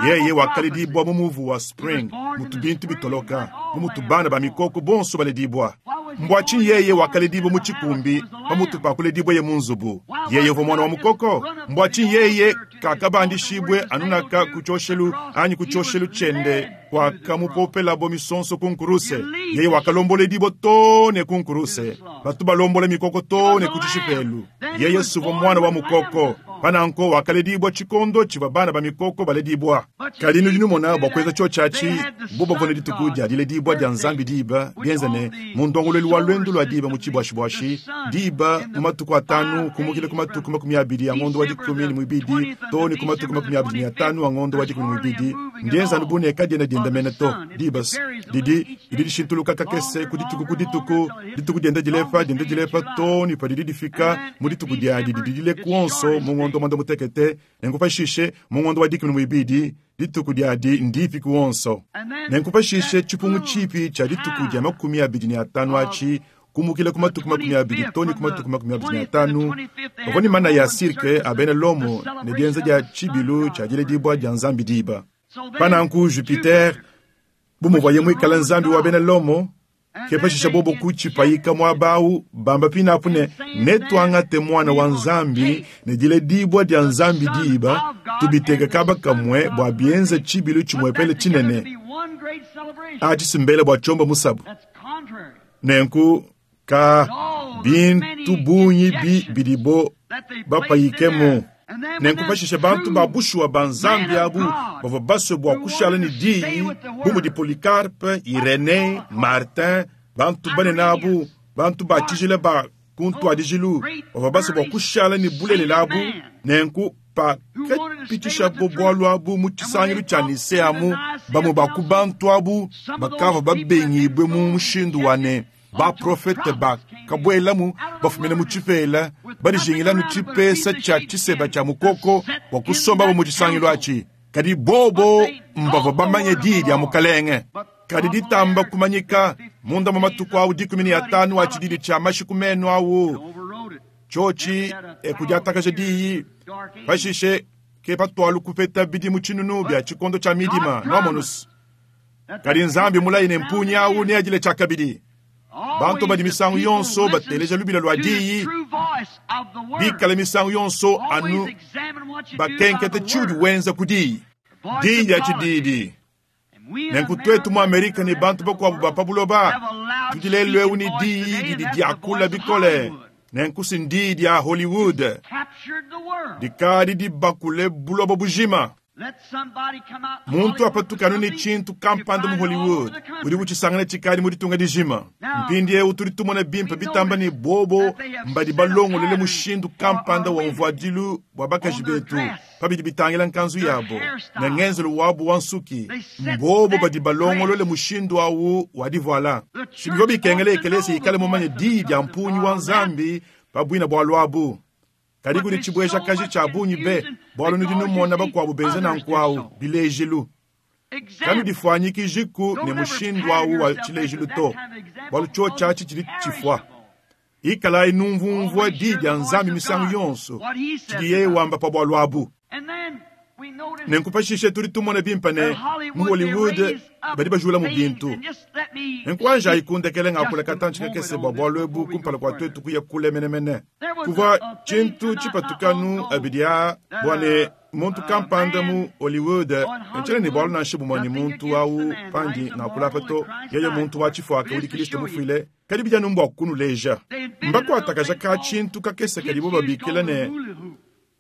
Yeye wakaledibua mu muvu wa spring, mutu bintu bitoloka, bu mutu bana ba mikoko bonso baledibua. Mbua tshinyi yeye wakaledibua mu tshikumbi pamutu pa kuledibua mu nzubu? Yeye uvua mwana wa mukoko. Mbua tshinyi yeye kakabandishibwe anunaka ku tshioshelu anyi ku tshioshelu tshiende kwakamupopelabo misonso ku nkuruse? Yeye wakalomboledibua too ne ku nkuruse, batu balombola mikoko too ne ku tshishipelu. Yeye suvua mwana wa mukoko. Pananko wakaledibua tshikondo tshivua bana ba mikoko baledibua. Kadi nudi numona bua kuenza tshiotshi atshi bo bavua ne dituku dia diledibua dia Nzambi diba bienza ne mu ndongoluelu wa lwendu lua diba mu tshibuashibuashi diba mu matuku atanu kumukila ku matuku makumi abidi a ngondo wa dikumi ne muibidi too ne ku matuku makumi abidi ne atanu a ngondo wa dikumi ne muibidi ndienza anu bu ne kadiena dienda mene to. Diba didi didi dishintuluka kakese ku dituku ku dituku, dituku dienda dilepa dienda dilepa too ne padidi difika mu dituku diadi didi dile kuonso mu ngondo mwanda mutekete. Nenku pashishe mu ngondo wa dikumi ne muibidi dituku diadi ndipi kuonso. Nenku pashishe tshipungu tshipi tshia dituku dia makumi abidi ne atanu atshi kumukila ku matuku makumi abidi too ne ku matuku makumi abidi ne atanu bavua ne mana ya sirke a bena Lomo ne dienza dia tshibilu tshia diledibua dia Nzambi diba. Pananku Jupiter bu muvuaye muikale Nzambi wa bena Lomo, ke pashisha bobo kutshipayika muaba awu bamba pinapu ne netuangate mwana wa Nzambi ne diledibua dia Nzambi diba tubiteke kaba kamwe bua bienze tshibilu tshimuepele tshinene atshi simbele bua tshiomba musabu. Nenku ka bintu bungi bi bidibo bapayikemu. Nenku pashishe bantu ba bushuwa ba Nzambi abu bavua basue bua kushala ne diyi bu mudi Polycarpe, Irene, Martin, bantu banene abu, bantu ba tshijila ba ku ntuadijilu bavua basue bua kushala ne bulelela abu. Nenku pakapitishabo bualu abu mu tshisangilu tshia Nisea amu, bamue ba ku bantu abu bakavua babengibue mu mushindu wa ne baprofete bakabuelamu bafumine mu tshipela badijingila tshipesa tshia tshiseba tshia mukoko bua kusombabo mu tshisangilu atshi. Kadi bobo mbavua bamanye diyi dia mukalenge. Kadi ditamba kumanyika munda mu matuku awu dikumi ne atanu a tshididi tshia mashiku menu awu tshiotshi ekudiatakaja diyi pashishe ke patualu kupeta bidimu tshinunu bia tshikondo tshia midima nomonus. Kadi Nzambi mulayi ne mpunyi awu neadile tshiakabidi. Bantu badi misangu yonso bateleja lubila lua diyi, bikale misangu yonso anu bakenkete tshiudi wenza ku diyi. Diyi dia tshididi. Nenku tuetu mu Amerika ne bantu bakuabu ba pa buloba tudi lelu eu ne diyi didi diakula bikole. Nenku si ndiyi dia Hollywood dikadi dibakule buloba bujima. Muntu apatuka anu ne tshintu kampanda mu Hollywood udi butshisangana tshikadi mu ditunga dijima. Mpindieu tudi tumona bimpe bitamba ne bobo mbadi balongolole mushindu kampanda wa mvuadilu bua bakaji betu pabidi bitangila nkanzu yabo ne ngenzelu wabu wa nsuki. Mbobo badi balongolole mushindu awu wa divuala. Shibivua bikengela ekelesi ikale mumanye diyi dia mpunyi wa Nzambi pabuina bua luabu. Kadi kudi tshibueja kaji tshia bungi be bualu nudi numona bakuabu benza nanku awu bilejilu. Kanudifuanyikijiku ne mushindu awu wa tshilejilu to, bualu tshiotshi atshi tshidi tshifua. Ikalayi numvumvua diyi dia Nzambi misangu yonso tshidi yeye wamba pa bualu abu. Nenku pashishe tudi tumona bimpe ne mu Hollywood badi bajula mu bintu. Nenku anjayi kundekele ngakula katantshi kakese bua bualu ebu kumpala kua tuetu kuya kule menemene. Kuvua tshintu tshipatukanu abidi aa bua ne muntu kampanda mu Hollywood ntshiena ne bualu nansha bumue ne muntu awu pandi ngakula apa to, yeye muntu wa tshifuaka udi Kristo mufuile. Kadi bidi anu mbua kunuleja. Mbakuatakaja ka tshintu kakese kadibo babikila ne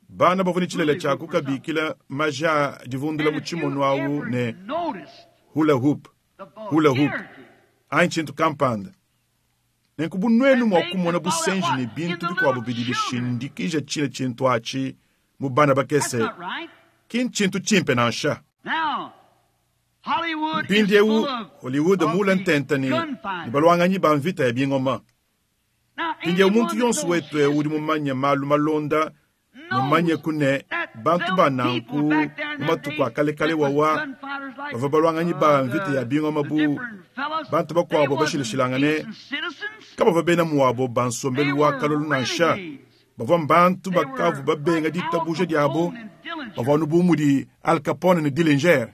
bana bavua ne tshilele tshia kukabikila maja divundula mu tshimono awu ne hula hoop, hula hoop anyi tshintu kampanda. Nenku bu nuenu mua kumona busenji ne bintu bikuabu bidi bishindikija tshile tshintu atshi mu bana bakese, ki ntshintu tshimpe nansha. Mpindieu Hollywood muule ntente ne balwanganyi ba mvita ya bingoma. Mpindieu muntu yonso wetu eu udi mumanye malu malonda, mumanye kune bantu ba nanku mu matuku a kalekale wawa bavua balwanganyi ba mvita ya bingoma bu bantu bakuabo bashilashilangane kabavua bena muabo ba nsombelu wa kalolo nansha. Bavua bantu bakavu babenga ditabuja diabo, bavua anu bu mudi Al Capone ne Dillinger.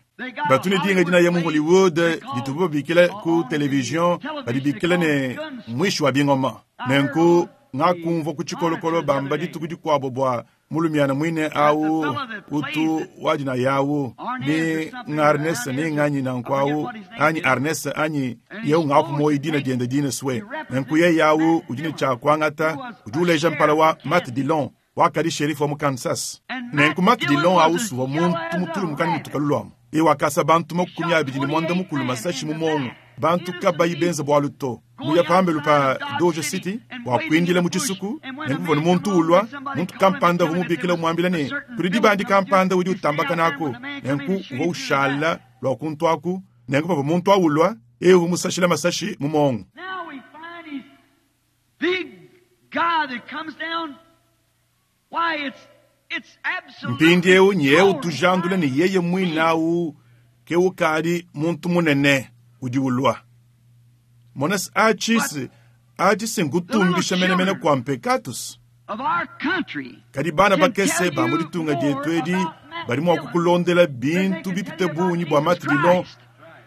Batu ne dinga dina ya mu Hollywood ditubu babikila ku television badibikila ne mwishi wa bingoma. Nenku ngakumvua ku tshikolokolo bamba dituku dikuabo bua mulumiana mwine au utu wadina yawu ni ngarnes ni nganyi nanku au anyi arnes anyi yeu ngapu moyi dina diende dina swe. Nenku ye yawu udi ne tshia kuangata udi uleja mpala wa Matt Dillon wakadi sheriff wa mu Kansas. Nenku Matt Dillon au suvua muntu mutulu mukani mutukalu luamu. E wakasa bantu makumi abidi ne mwanda mukulu masashi mu mongo. Bantu kabayi benza bwalu to. Muya pambelu pa Dodge City wakwindila mu tshisuku nenku muntu ulwa muntu kampanda vumubikila mwambila ne kuli dibandi kampanda udi utambaka nako nenku uva ushala lwa kuntu aku nenku pava muntu awulwa e umusashila masashi mu mongo. Now we find he's big guy that comes down. Why, it's it's absolutely Mpindieu nyeu tujandula ne yeye mwinawu ke ukadi muntu munene udi ulwa. Monas achisi achisi nkutumbisha menemene kwa mpekatus. of our country. Kadi bana bakese ba mu ditunga dietu edi badi mua kukulondela bintu bipite bungi bua Matt Dillon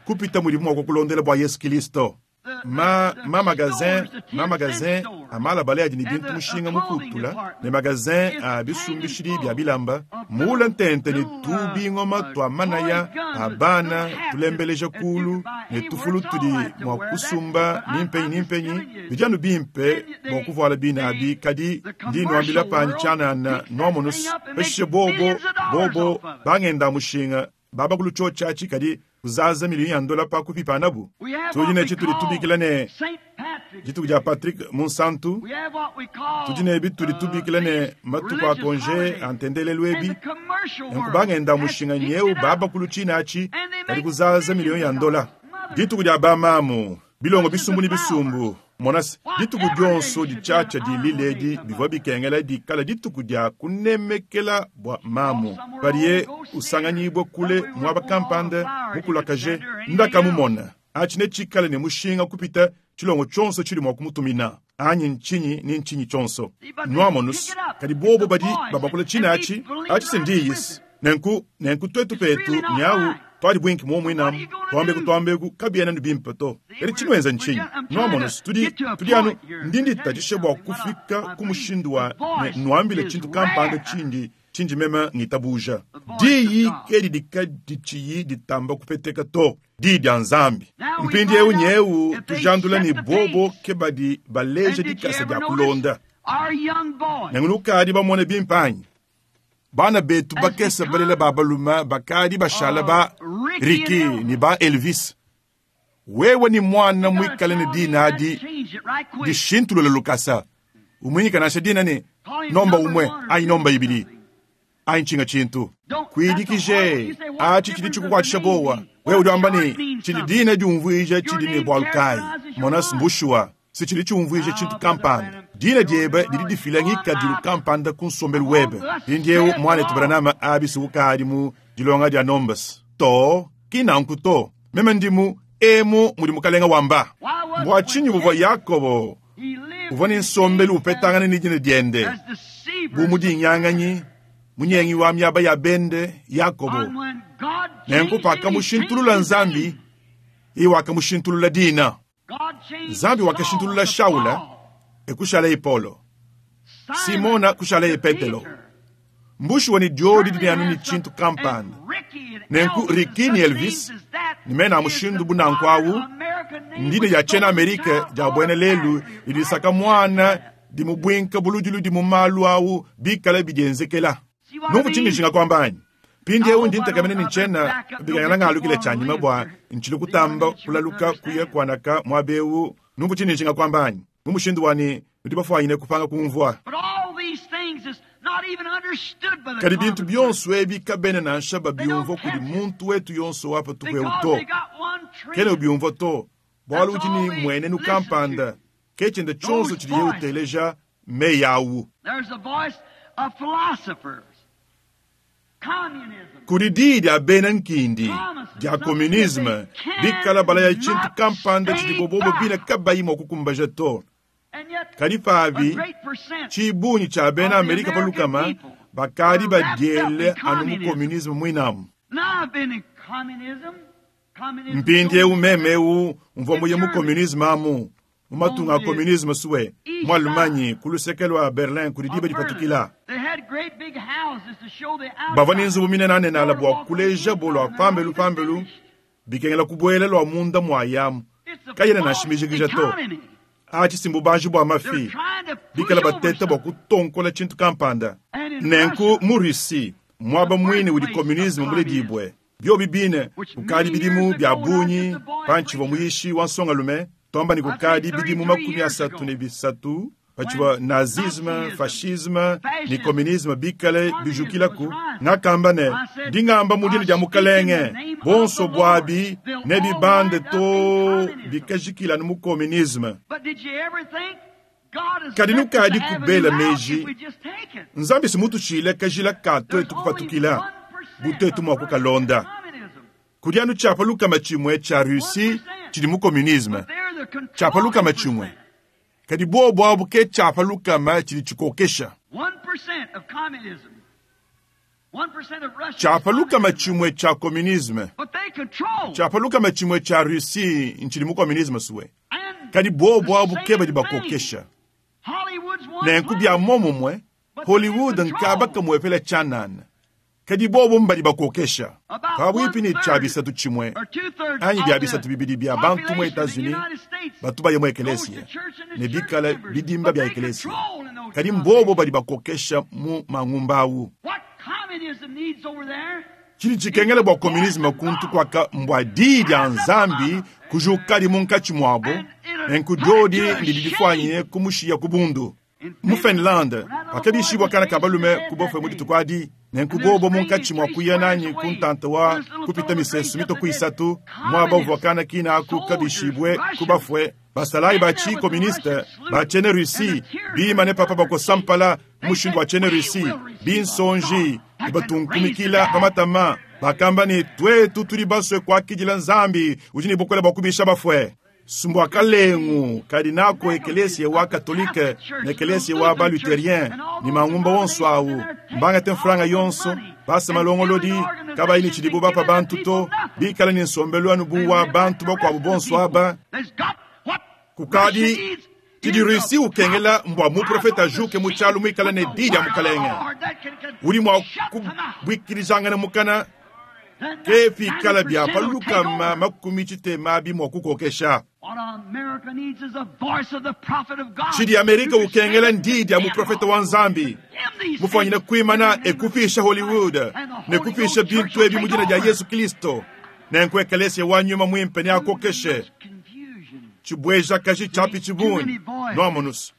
kupita mudi mua kukulondela bua Yesu Kristo. Ma, ma magazin, ma magazin amalabale adi ne bintu mushinga mukutula ne magazin a bisumbishidi bya bilamba muula ntente ne tubingoma twa manaya a bana tulembeleja kulu ne tufulu tudi mua kusumba nimpenyi nimpenyi bijanu bimpe bua kuvuala bina abi kadi ndi nwambila panyi tshianana nwamonus peshishe bobo bobo bangenda mushinga baba kulu tshiatshi kadi kuzaza milioni ya ndola pa kupipanabu. We have Tudi what ne we tshitudi call tubikila ne Saint Patrick's dituku dia Patrick Munsantu. We have what we call, Tudi ne bitudi uh, tubikila ne these matuku a religious konje holidays. a ntendelelu And ebi. the commercial Nenku world bangenda has mushinga picked nyeu it up. baba kulu tshina atshi And they kadi make kuzaza milioni ya billions ndola. of dollars. Dituku dia bamamu bilongo bisumbu ne This is the bisumbu. Monas dituku dionso ditshatsha dililedi bivua bikengela dikala dituku dia kunemekela bua mamu. Padiye usanganyibwe kule mwaba kampanda mukulakaje ndakamumona. Atshi ne tshikale ne mushinga kupita tshilongo tshonso tshili mua kumutumina. Anyi nchinyi ni nchinyi tshonso. Nwamonus kadi bobo badi babakula tshina atshi atshi sindiyisi. Nenku nenku twetu petu nyawu twali bwinki momwe namu twambeku twambeku kabiena ni bimpe to. Kadi tshinwenza nchinyi nwamonus tudi tudi anu ndindi tatshishe bua kufika ku mushindu wa ne nwambile tshintu kampanda tshindi tshindi meme ngitabuja. Diyi ke didi ditshiyi ditamba kupeteka to. Diyi dia Nzambi. Mpindieu nyeu tujandula ne bobo ke badi baleja And did you dikasa ever dia notice kulonda. our young boys Nengu bamone bimpanyi. Bana betu bakese balela babaluma bakadi bashala ba Ricky ni ba Elvis. Wewe ni mwana mwikale ne dina adi dishintulula lukasa. Umwinyika nasha dina ne nomba umwe ayi nomba ibili. Ayi nchinga chintu. Kwidikije achi chili chikukwatisha bowa. Wewe udi wamba ne chili dina diumvuija chili ne bwalukai. Monas mbushwa si chili chiumvuija chintu kampanda. Dina diebe didi difila ngikadilu kampanda ku nsombelu webe. Mpindieu mwanetu Branham abisi ukadi mu dilonga dia nombas. To kinanku to. Meme ndimu emu mudi mukalenga wamba. Bua tshinyi buvua Yakobo uvua ne nsombelu upetangana ne dina diende. Bu mudi nyanganyi munyengi wa miaba ya bende Yakobo. Nenku pakamushintulula Nzambi, iye wakamushintulula dina. Nzambi wakashintulula Shaula ekushala Paulo. Simona kushala Petelo. Mbushi wani diodi didi anu ni chintu kampanda. Nenku Ricky ni Elvis nimena mushindu bunanku awu ndine ya chena Amerika ja bwene lelu idisaka mwana dimubwinka buludiludi mu malu awu bikala bidienzekela. Numvu chindishinga kwambanyi. Mpindieu ndi ntekamene ni nchena bikangana ngalukile chanyima bua nchili kutamba kulaluka kuya kwanaka mwabeu. Numvu chindishinga kwambanyi. Mu mushindu wani ndi bafwanyine kupanga kumvua. But all these things is Kadi bintu bionso ebi kabena nansha babiumvua kudi muntu wetu yonso wa patupu eu to. Kena ubiumvua to, bualu udi ne mmuenenu kampanda, ke tshiende tshionso tshidiye uteleja meyi awu. Kudi diyi dia bena nkindi dia kominisme bikala balaya tshintu kampanda tshidibo bobo bine kabayi mua kukumbaja to. Kadi pabi tshibungi tshia bena Amerika pa lukama bakadi badiele anu mu kominisme muinamu. Mpindieu meme eu mvua muye mu kominisme amu mu matunga a kominisme suwe mu Allemagne ku luseke lua Berlin kudi diba dipatukila. Bavua ne nzubu minenanenala bua kulejabo lua pambelu pambelu bikengela kubuela lua munda mua yamu kayena nansha mijikija to. Atshi si mbubanji bua mafi bikala bateta bua kutonkola tshintu kampanda. Nenku mu Russie muaba muine udi kominisme muledibue biobi bine kukadi bidimu bia bungi pantshivua muyishi wa nsongalume twamba ne kukadi bidimu makumi asatu ne bisatu patshivua nazisme fascisme ne kominisme bikale bijukilaku ngakamba ne ndi ngamba mu dina dia mukalenge bonso buabi ne bibande to bikajikila mu kominisme. Kadi nukadi kubela meji nzambi simutushile kajila ka twetu kupatukila butetu mua kukalonda. Kudi anu tshiapa lukama tshimue tshia Russie tshidi mu kominisme tshiapa lukama tshimue kadi bobo abu ke tshiapa lukama tshidi tshikokesha. Tshiapa lukama tshimue tshia kominisme tshiapa lukama tshimue tshia Russie ntshidi mu kominisme suwe kadi bobo abu ke badi bakokesha. Nenku bia momumue Hollywood nkaba kamuepela tshianana kadi bobo mbadi bakokesha. Pabuipi ne tshia bisatu tshimue anyi bia bisatu bibidi bia bantu mu Etats-Unis batu baye mu ekelesia ne bikala bidimba bia ekelesia kadi mbobo badi bakokesha mu mangumba awu. Tshidi tshikengela bua kominisme kuntu kuaka mbua diyi dia Nzambi kujukadi munkatshi muabo nenku diodi ndidi difuanyine kumushiya ku bundu. Mu Finlande pakabishibua kana ka balume ku bofue mu dituku adi nenku bobo munkatshi mua kuya nanyi ku ntanta wa kupita misesu mitoku isatu muaba uvua kana kina aku kabishibue ku bafue basalayi ba tshikoministe ba tshiena Russie bimane papa bakosampala mushindu wa tshiena Russie binsonji batunkumikila pa matama bakamba ne twetu tudi basue kuakidila Nzambi udi ne bukole bua kubisha bafue. Sumbu kalengu kadi nako ekelesia wa katolike ne ekelesia wa baluterien ni mangumba wonso awu mbangate mfranga yonso basa malongolodi kabayi ne tshidibo bapa bantu to bikala ne nsombelu anu bu wa bantu bakuabu bonso aba. Kukadi tshidi Russie ukengela mbua muprofeta ajuke mu tshialu muikala ne di dia mukalenge udi mua kubwikirijangana mukana ke pikala bia pa lukama makumi tshitema abi mua kukokesha. Tshidi Amerika ukengela ndi dia muprofeta wa Nzambi mufanyine kuimana ekupisha Hollywood ne kupisha bintu ebi mu dina dia Yesu Kristo nenku ekelesia wa nyuma muimpe ne akokeshe tshibweja kaji tshiapi tshibunyi noamonusu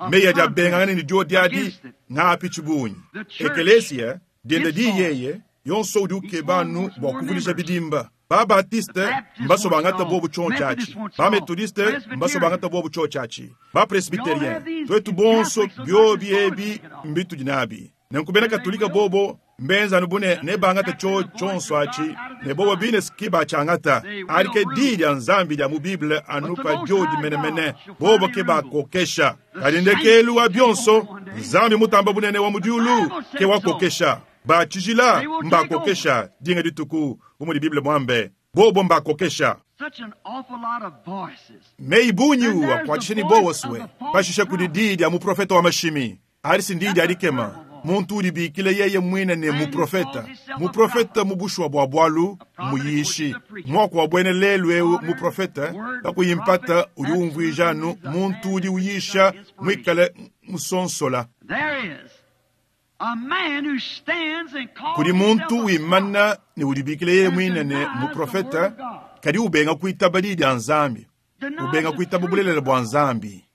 meyi adi abengangana ne diodi adi ng'api tshibunyi. Ekelesia dienda di yeye yonso udi ukeba anu bua kuvulisha bidimba. Ba Baptiste mbaso bangata bobu tshio tshiatshi, ba Methodiste mbaso bangata bobu tshio tshiatshi, ba Presbyterien twetu bonso biobi ebi mbitudi nabi. Nenku bena Katolika bobo mbenza anu bune ne bangata tshio tshionso atshi ne bobo bine ski batshiangata adi ke di dia Nzambi dia mu Bible anu pa diodi menemene bobo ke bakokesha. Kadi ndekelu wa bionso Nzambi mutamba bunene wa mu diulu ke wakokesha. Batshijila mbakokesha dinga dituku bu mudi Bible muambe bobo mbakokesha. Meyi bunyi akuatshisha ni bowo suwe pashisha kudi di dia muprofeta wa mashimi adi ndi dia dikema muntu udi bikile yeye mwine ne muprofeta muprofeta mubushwa bua bualu muyishi muaku wa bwene lelu eu muprofeta pakuyimpata udi umvuija anu muntu udi uyisha muikale musonsola. Kudi muntu wimana ne udibikile yeye mwine ne muprofeta kadi ubenga kuitaba di dia Nzambi ubenga kuitaba bulelela bua Nzambi.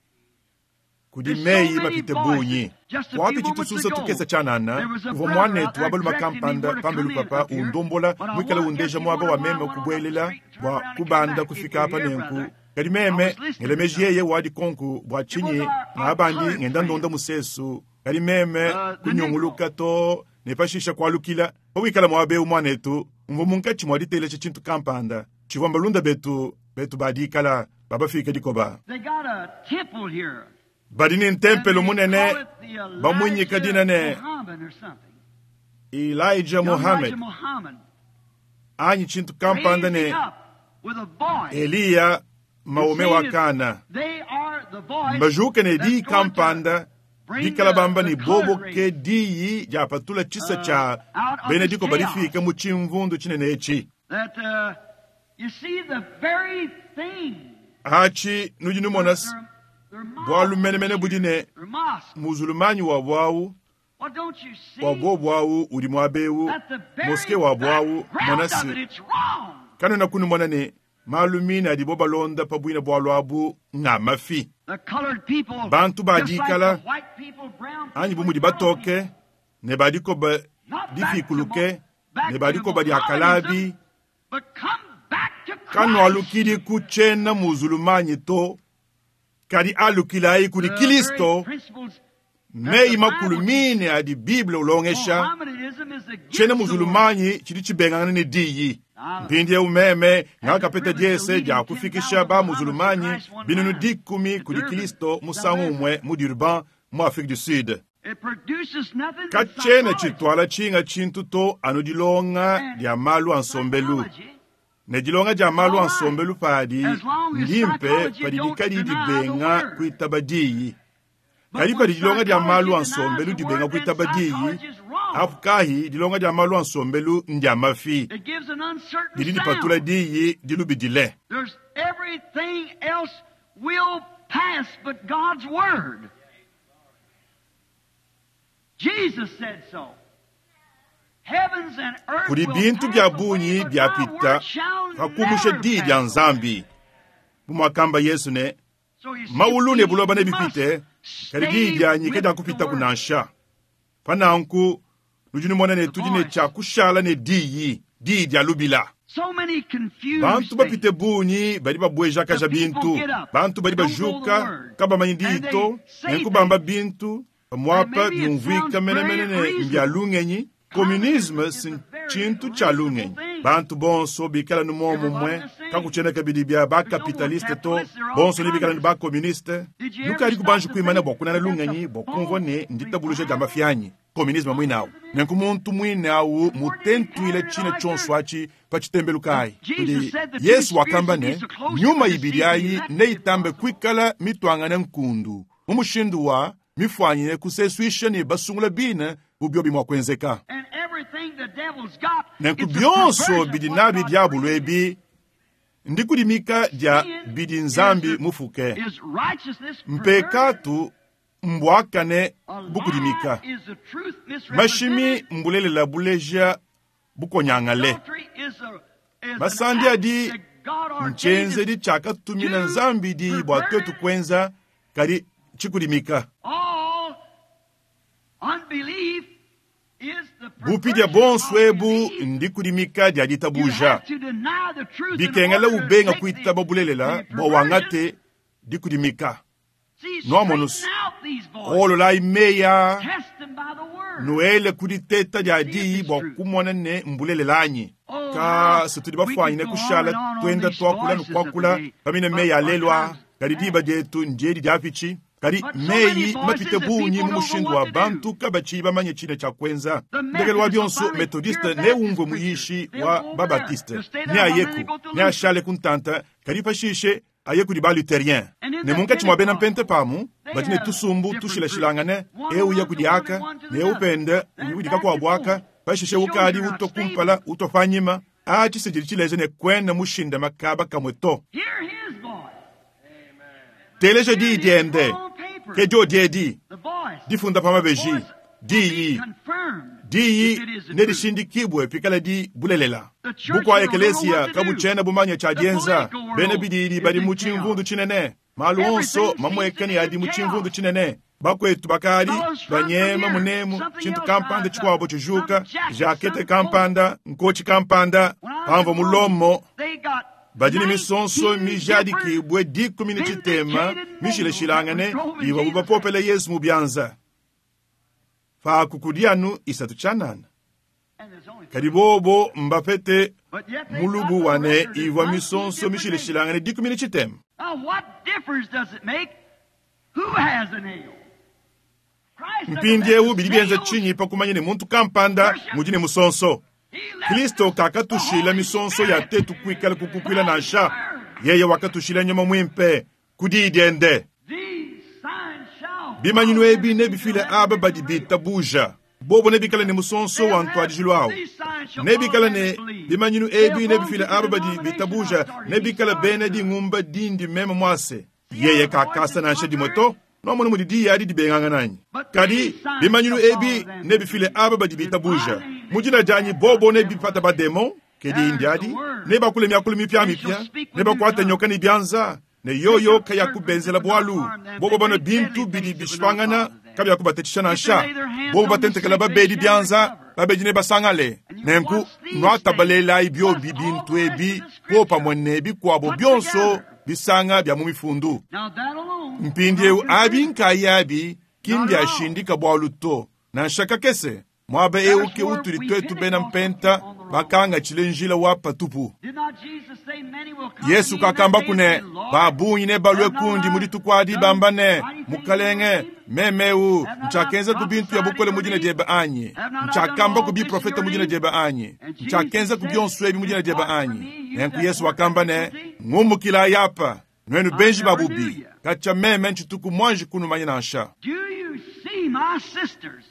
Kudi meyi mapite bungi. Wapitshi tususa tukese tshianana, uvua muanetu wa balume kampanda pambelu papa undombola muikale undeja muaba wa meme kubuelela bua kubanda kufika apa nenku. Kadi meme ngela meji yeye wadi konku bua tshinyi ngabandi ngenda ndonda musesu. Kadi meme kunyunguluka to ne pashisha kualukila. Pawikala muaba eu muanetu, mvua munkatshi mua diteleja tshintu kampanda. Tshivua mbalunda betu betu badikala babafika dikoba. They got a temple here. Badi ne ntempelo And they munene call it the bamuinyika Elijah dina ne Muhammad or something. Elijah Young Muhammad Elijah Muhammad anyi tshintu kampanda ne raising up with a voice. Eliya Maome wa Kana. They are the voice Mbajuke ne that's diyi going to kampanda bring dikala the- bamba the ne bobo colored ke race diyi diapatula tshisa tshia out of bena this dikoba chaos. difika mu tshimvundu tshinene etshi. That uh, you see the very thing. Atshi nudi numona s- Their- their mosque bualu menemene budi ne Their mosque. muzulumanyi wa bwawu Well, don't you see wa bobo awu udi muaba eu that the very moske wa bwawu background mona of it, si it's wrong. kanena kunumona ne malu mine adibo balonda pa bwina bwalu abu nga mafi. The colored people, Bantu just like badikala, the white people, brown anyi people, bu mudi and yellow batoke people. ne badikoba Not back to difikuluke Mo- back ne to badikoba dia kalabi Mohammedanism, but come back to Christ. kanwalukili ku tshiena muzulumanyi to kadi alukilayi kudi The Kristo very principles meyi makulu mine adi Bible ulongesha Mohammedanism is against tshiena the word. muzulumanyi tshidi tshibengangana ne diyi. Mpindiewu meme ngakapeta diese dia kufikisha ba muzulumanyi binunu dikumi kudi Kristo musangu umwe mu Durban mu Afrique du Sud. It produces nothing but Katshiena psychology. tshitwala tshinga tshintu to anu dilonga dia malu a nsombelu. Psychology Ne dilonga dia malu a nsombelu padi ndimpe padi dikadi dibenga kuitaba diyi. But Kadi when padi dilonga dia malu a psychology denies nsombelu the dibenga word, then kuitaba diyi, psychology is wrong. apu kahi dilonga dia malu a nsombelu ndia mafi. It gives an uncertain Didi dipatula sound. diyi dilubidile. There's everything else will pass but God's word. Jesus said so. Heavens and earth Kudi will bintu pass bia away, bungi but my biapita word shall pakumusha never diyi pass dia away. Nzambi. Bu muakamba Yesu ne So you see, mawulu ne we buloba must nebipite kadi stay diyi dianyi with kadiakupita the word. kunansha. Pananku nudi numona ne tudi ne tshia kushala ne diyi diyi dia lubila. So many confused Bantu bapite things. bungi badi babwejakaja The people bintu get up, bantu badi don't know the bajuka word, kabamanyi diyi and they to say nenkubamba things. bintu pamuapa And maybe it byumvuika sounds menemene very ne reasonable. mbya lungenyi. Communisme is si a very tshintu tshia lungenyi. reasonable thing. Bantu bonso bikala ni momumwe Everybody the same. kakutshiena kabidi bya There's no more bakapitaliste to capitalists, they're all bonso ne bikala ni communists. bakomuniste. Did you ever Nukadi stop kubanji to kuimana think bua kunana that's a lungenyi bua kumvua ne false nditabuluja dia revival? mafianyi komunisme mwinawu nenku muntu mwine awu mutentuile tshina tshonso atshi pa tshitembelu kayi. Jesus said the two Yesu wakamba spirits ne would be so close to nyuma the ibidi deceive ayi the elect if neitambe possible. kuikala mitwangane nkundu mu mushindu wa mifwanyine kuseswisha ne basungula bine bubyo bimwa kuenzeka. And everything the devil's got, Nenku it's a byonso perversion of bidi what nabi God diabulu created. ebi ndikudimika dia Sin bidi is, Nzambi mufuke. is righteousness perverted. Mpekatu mbwakane A bukudimika. lie is the truth Mashimi misrepresented. mbulelela buleja bukonyangale. Adultery is a is an Masandi act adi that God ordained nchenzedi tshakatumina to Nzambi di bua pervert twetu kuenza kadi tshikudimika. all unbelief is the Bupidya perversion bonso of ebu belief. ndikudimika dia You ditabuja. have to deny the truth in Bikengela order to ubenga take the, kuitaba bulelela the bua perversion. wangate dikudimika. See, Nwamonus. straighten out these voices. Ololayi meya Test them by the word. nuele kuditeta dia See if diyi it's bua true. kumona ne mbulelela-anyi. Oh, Ka how situdi we could bafwanyine go on kushala and on on twenda these twakula voices of nukwakula the day, pamine but meyi our alelwa time's kadi past. diba dietu ndiedi diapitshi. Kadi But so many meyi voices mapite that bungi people mu don't know mushindu what wa to do. bantu kabatshiyi bamanye tshina tshia kuenza. The Ndekelu wa Methodists will bionso finally hear methodiste a ne Baptist umvue preacher. muyishi They'll wa go over there. babatiste They'll stay ne there a while, then they ayeku go to ne Luther. ashale kuntanta kadi pashishe aye kudi baluterien. And in Ne the munkatshi mua bena Pentecost, mpente pamu they badi ne have tusumbu different groups. tushilashilangane One eu ya runs to kudi one aka and one to ne the other. upende Then udi back dikaku and abwaka forth. pashishe It shows ukadi you're not utwa stable. kumpala utwa panyima atshisejeli tshileja ne kwena mushinda makaba kamwe to. Hear his voice. Teleja Here diyi it is diende put on paper. ke dio diedi The voice. difunda pa mabeji Voice will be diyi confirmed if diyi it is the ne truth. dishindikibwe pikala di bulelela. The church Bukwa world don't know ekelesia what to do. kabutshiena bumanya tshia The dienza political bena world bididi is badi in mu chaos. tshimvundu tshinene Malu onso mamueka ne adi mu tshimvundu tshinene. Bakwetu bakadi banyema munemu tshintu kampanda tshikuabo tshijuka, jakete kampanda, nkochi kampanda, pamvua mulomo badi ne misonso mijadikibwe dikumi ne tshitema mishilashilangane ivua bapopela Yesu mu bianza. Paku kudi anu isatu tshianana. Kadi bobo mbapete mulubu wane ivua misonso mishilashilangane dikumi ne tshitema. Mpindiewu bidi bienza tshinyi pa kumanya ne muntu kampanda mudi ne musonso. Kristo kakatushila misonso ya tetu kuikala kukukuila nansha. Yeye wakatushila nyama mwimpe ku diyi diende. Bimanyinu ebi nebifile aba badi bitabuja. Bobo nebikale ne musonso wa ntwadijilu awu. Nebikale ne bimanyinu ebi nebifile aba badi bitabuja, nebikale bena dingumba dindi meme mwase. Yeye kakasa nansha dimwe to. Nomona mudi diyi adi dibengangana. Kadi bimanyinu ebi nebifile aba badi bitabuja. Mu dina dianyi bobo nebipata bademon, ke diyi ndiadi, nebakule miakulu mipiamipia, nebakuate nyoka ne bianza, ne yoyo kayakubenzela bwalu. Bobo bana bintu bidi bishipangana kabiakubatetisha nansha. Bobo batentekela babedi bianza, babedi ne basangale. Nenku nwatabalelayi byobi bintu ebi popamwe ne bikwabo byonso bisanga bya mu mifundu. Mpindiewu abi nkayabi kimbyashindika bwalu to. Nansha kakese mwaba ewu ke utuli twetu bena mpenta bakanga chilenjila wa patupu. Yesu kakamba kune babunyi ne balwe kundi mudi tukwadi bamba ne mukalenge memeu nchakenza ku bintu ya bukole mudina diebe anyi, nchakamba ku biprofeta mudina diebe anyi, nchakenza ku byonso ebi mudina diebe anyi. Nenku Yesu wakamba ne ngumukila yapa nwenu benji babubi kacha meme nchituku mwanji kunumanya nansha. Do you see my sisters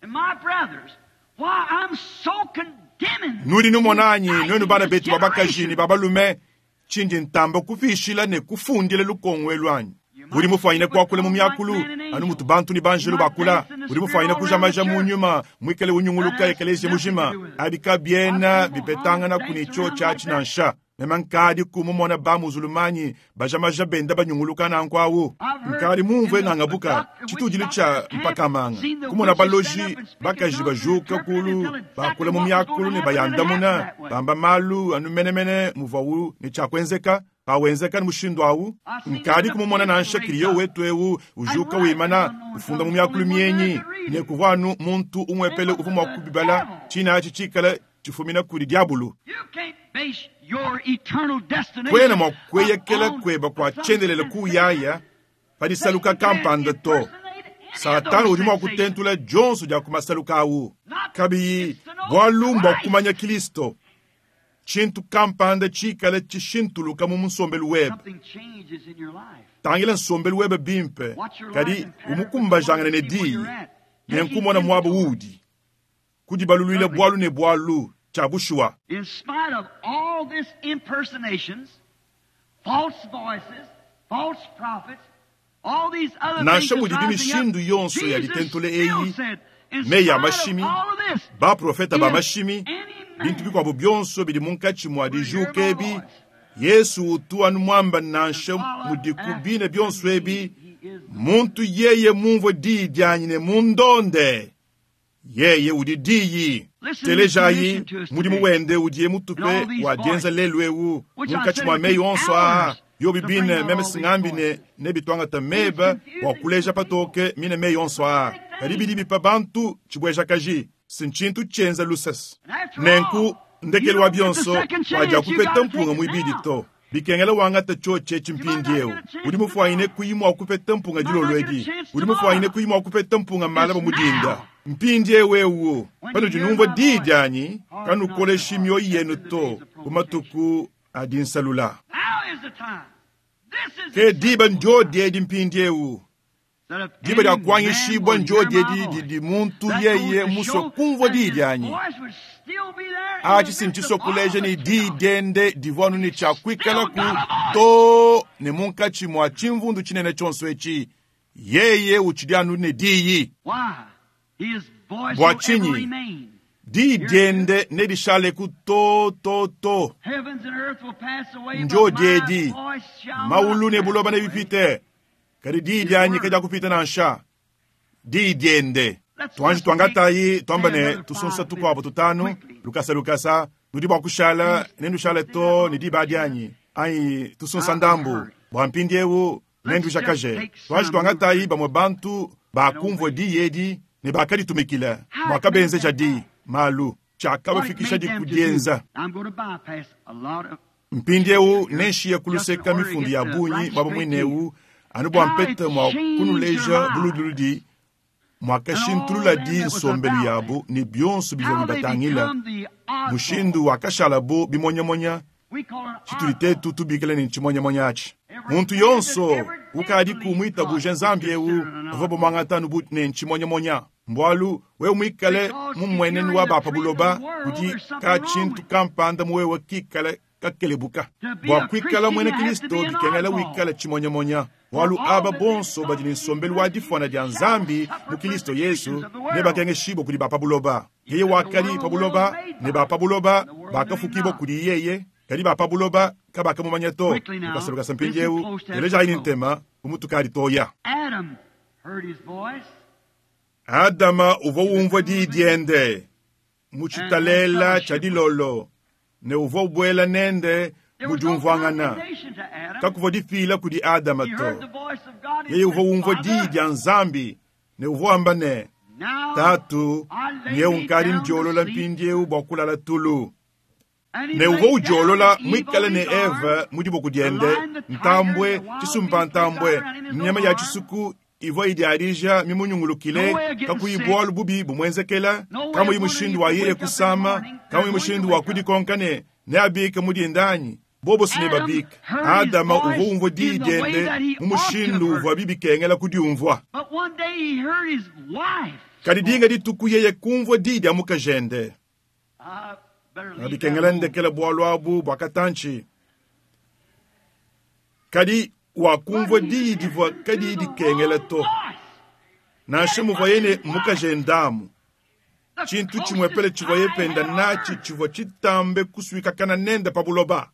and my brothers why I'm so condemning? Nudi numonanyi nwenu bana betu babakaji ne babalume chindi ntamba kufishila ne kufundila lukongwe lwanyi. Udi mufanyine kuakula mu miakulu anu mutu bantu ni banjelu bakula. Udi mufanyine kujamaja mu nyuma mwikale unyunguluka ekelesia mujima abika biena bipetangana kuni cho chachi nansha. Mema nkadi kumumona ba muzulumanyi bajamaja benda banyunguluka nanku awu. Nkadi mumvue ngangabuka chitudilu cha mpakamanga kumona baloji bakaji bajuka kulu bakula mu miakulu ne bayandamuna bamba malu anu menemene muvawu ne chakwenzeka pawenzeka ni mushindu awu. Nkadi kumumona nansha kiliyo wetu ewu ujuka wimana ufunda mu miakulu mienyi ne kuvanu muntu umwepele uvu mwa kubibala china achi chikala chifumina kuli diabulu. Kwena mwa kweyekela kweba kwa chendelela kuyaya padisaluka kampanda to. Satana udi mwa kutentula jonso dia kumasaluka awu. Kabiyi bwalu mbwa kumanya Kristo. Chintu kampanda chikala chishintuluka mu nsombelu webe. Tangila nsombelu webe bimpe kadi umukumbajangana ne diyi nenkumona mwabo udi. Kudibaluluila bwalu ne bwalu cha bushuwa. In spite of all these impersonations, false voices, false prophets, all these other Nansha things mudi rising up, mishindu yonso ya Jesus litentule still eyi, said, in meyi ya spite of mashimi, all of this, baprofeta ba if mashimi, any man bintu bikwabo byonso bidi munkatshi mwa dijuka ebi, Yesu utu anu mwamba nansha mudi kubina byonso ebi, muntu yeye mumvue diyi dianyi ne mundonde. Yeye udi diyi. Telejayi mudimu wende udiye mutupe wa dienza lelu ewu munkatshi mwa meyi onso aa. Yo bibine meme singambi ne nebitwangata meba wa kuleja patoke mine meyi onso aa. Kadi bidi bipa bantu chibwejakaji sinchintu chenza lusasi. Nenku ndekelu wa byonso waja kupeta mpunga mwibidi to. Bikengela wangata choche chimpindiewu. Udi mufwanyine kuyimwa kupeta mpunga dilolo edi. Udi mufwanyine kuyimwa kupeta mpunga malaba mudinda. Mpindiewu ewu pano dinumvua diyi dianyi kanukoleshi mioyo yenu to kumatuku adinsalula. Now is the time. This is Ke diba njo diedi mpindiewu. that if Diba dia any man kuanyishibwa will njo hear my diedi voice, didi muntu that yeye goes to muswa show kumvua that diyi his dianyi. voice would still be there in the Achi midst sinchiso of all kuleja the ni diyi chaos. diende divwanu ni cha kuikala ku to ne munkatshi mwa chimvundu chinene chonso echi. Yeye uchidi anu ne diyi. Why? His voice Bwa will ever chinyi. remain. Diyi diende nedishaleku to to to. Heavens and earth will pass away, but Njo my diedi. voice shall Maulu not ne pass buloba away. nebipite, kadi diyi dianyi kadiakupita nansha. Diyi diende. Tuanji tuangatayi tuamba ne tusunsa tukuabo tutanu lukasa lukasa nudi bua kushala nendushale to ne diba dianyi anyi tusunsa ndambu bua mpindiewu nendujakaje. Tuanji tuangatayi bamue bantu bakumvua diyi edi ne bakaditumikila muakabenzeja diyi malu What it tshiakabafikisha made them to do. dikudienza. I'm going to bypass a lot of Mpindiewu nenshiye kuluseka mifundu ya bungi bwaba mwinewu anu bua mpete mua kunuleja buludiludi mwakashintulula di nsombelu yabu ne bionso bivua how they bibatangila become the oddball. mushindu wakashalabu bimonyamonya We call it tshitudi oddball. tetu tubikile ne tshimonyamonya atshi muntu yonso ukadi kumwitabuje nzambi ewu bavua bamwangata anu bu ne ntshimonyamonya mbwalu wewe mwikale mu mmuenenu wa bapa buloba kudi ka tshintu kampanda muwewe kikale kakelebuka bua kuikala muena kristo bikengela wikale tshimonyamonya bwalu aba bonso badi ne nsombelu wa difwana dia nzambi mu kristo yesu ne bakengeshibwa kudi bapa buloba yeye wakali pa buloba ne bapa buloba bakafukibwa kudi yeye kadi bapa buloba kabakamumanya to. Quickly now, Lukasa lukasa listen mpindiewu close as telejayi we ne ntema kumutukadi toya. Adam heard his voice Adama uvua umvua diyi diende mu tshitalela tshia dilolo ne uvua ubuela nende There mu was no diumvuangana. condemnation to Adam. Kakuvua dipila kudi Adama He heard to. the voice of God and Yeye uvua said, umvua diyi Father, dia Nzambi ne uvua wamba ne, now Tatu, I lay nyewu me nkadi down to ndiolola sleep. mpindiewu bua kulala tulu. And he Ne laid uvua down udiolola with Eve mwikale on ne his arm. Eva mu diboko diende, ntambwe, tshisumpa ntambwe, nyama ya tshisuku ivua idiadija mimunyungulukile, kakuyi bualu bubi bumuenzekela, kamuyi mushindu wa yeye kusama, kamuyi mushindu wa kudikonka ne neabike mudinda anyi. Bobo si ne babike. Adama uvua umvua diyi diende mu mushindu uvua bibikengela kudiumvua. But one day he heard his wife. Kadi dinga dituku yeye kumvua diyi dia mukajende. I better leave that Bikengela alone. ndekela bualu abu bua katantshi. Kadi wakumvua diyi divua kadiyi dikengela to. Nansha muvuaye ne mukajendamu, tshintu tshimuepele tshivuaye penda natshi tshivua tshitambe kusuikakana nende pa buloba.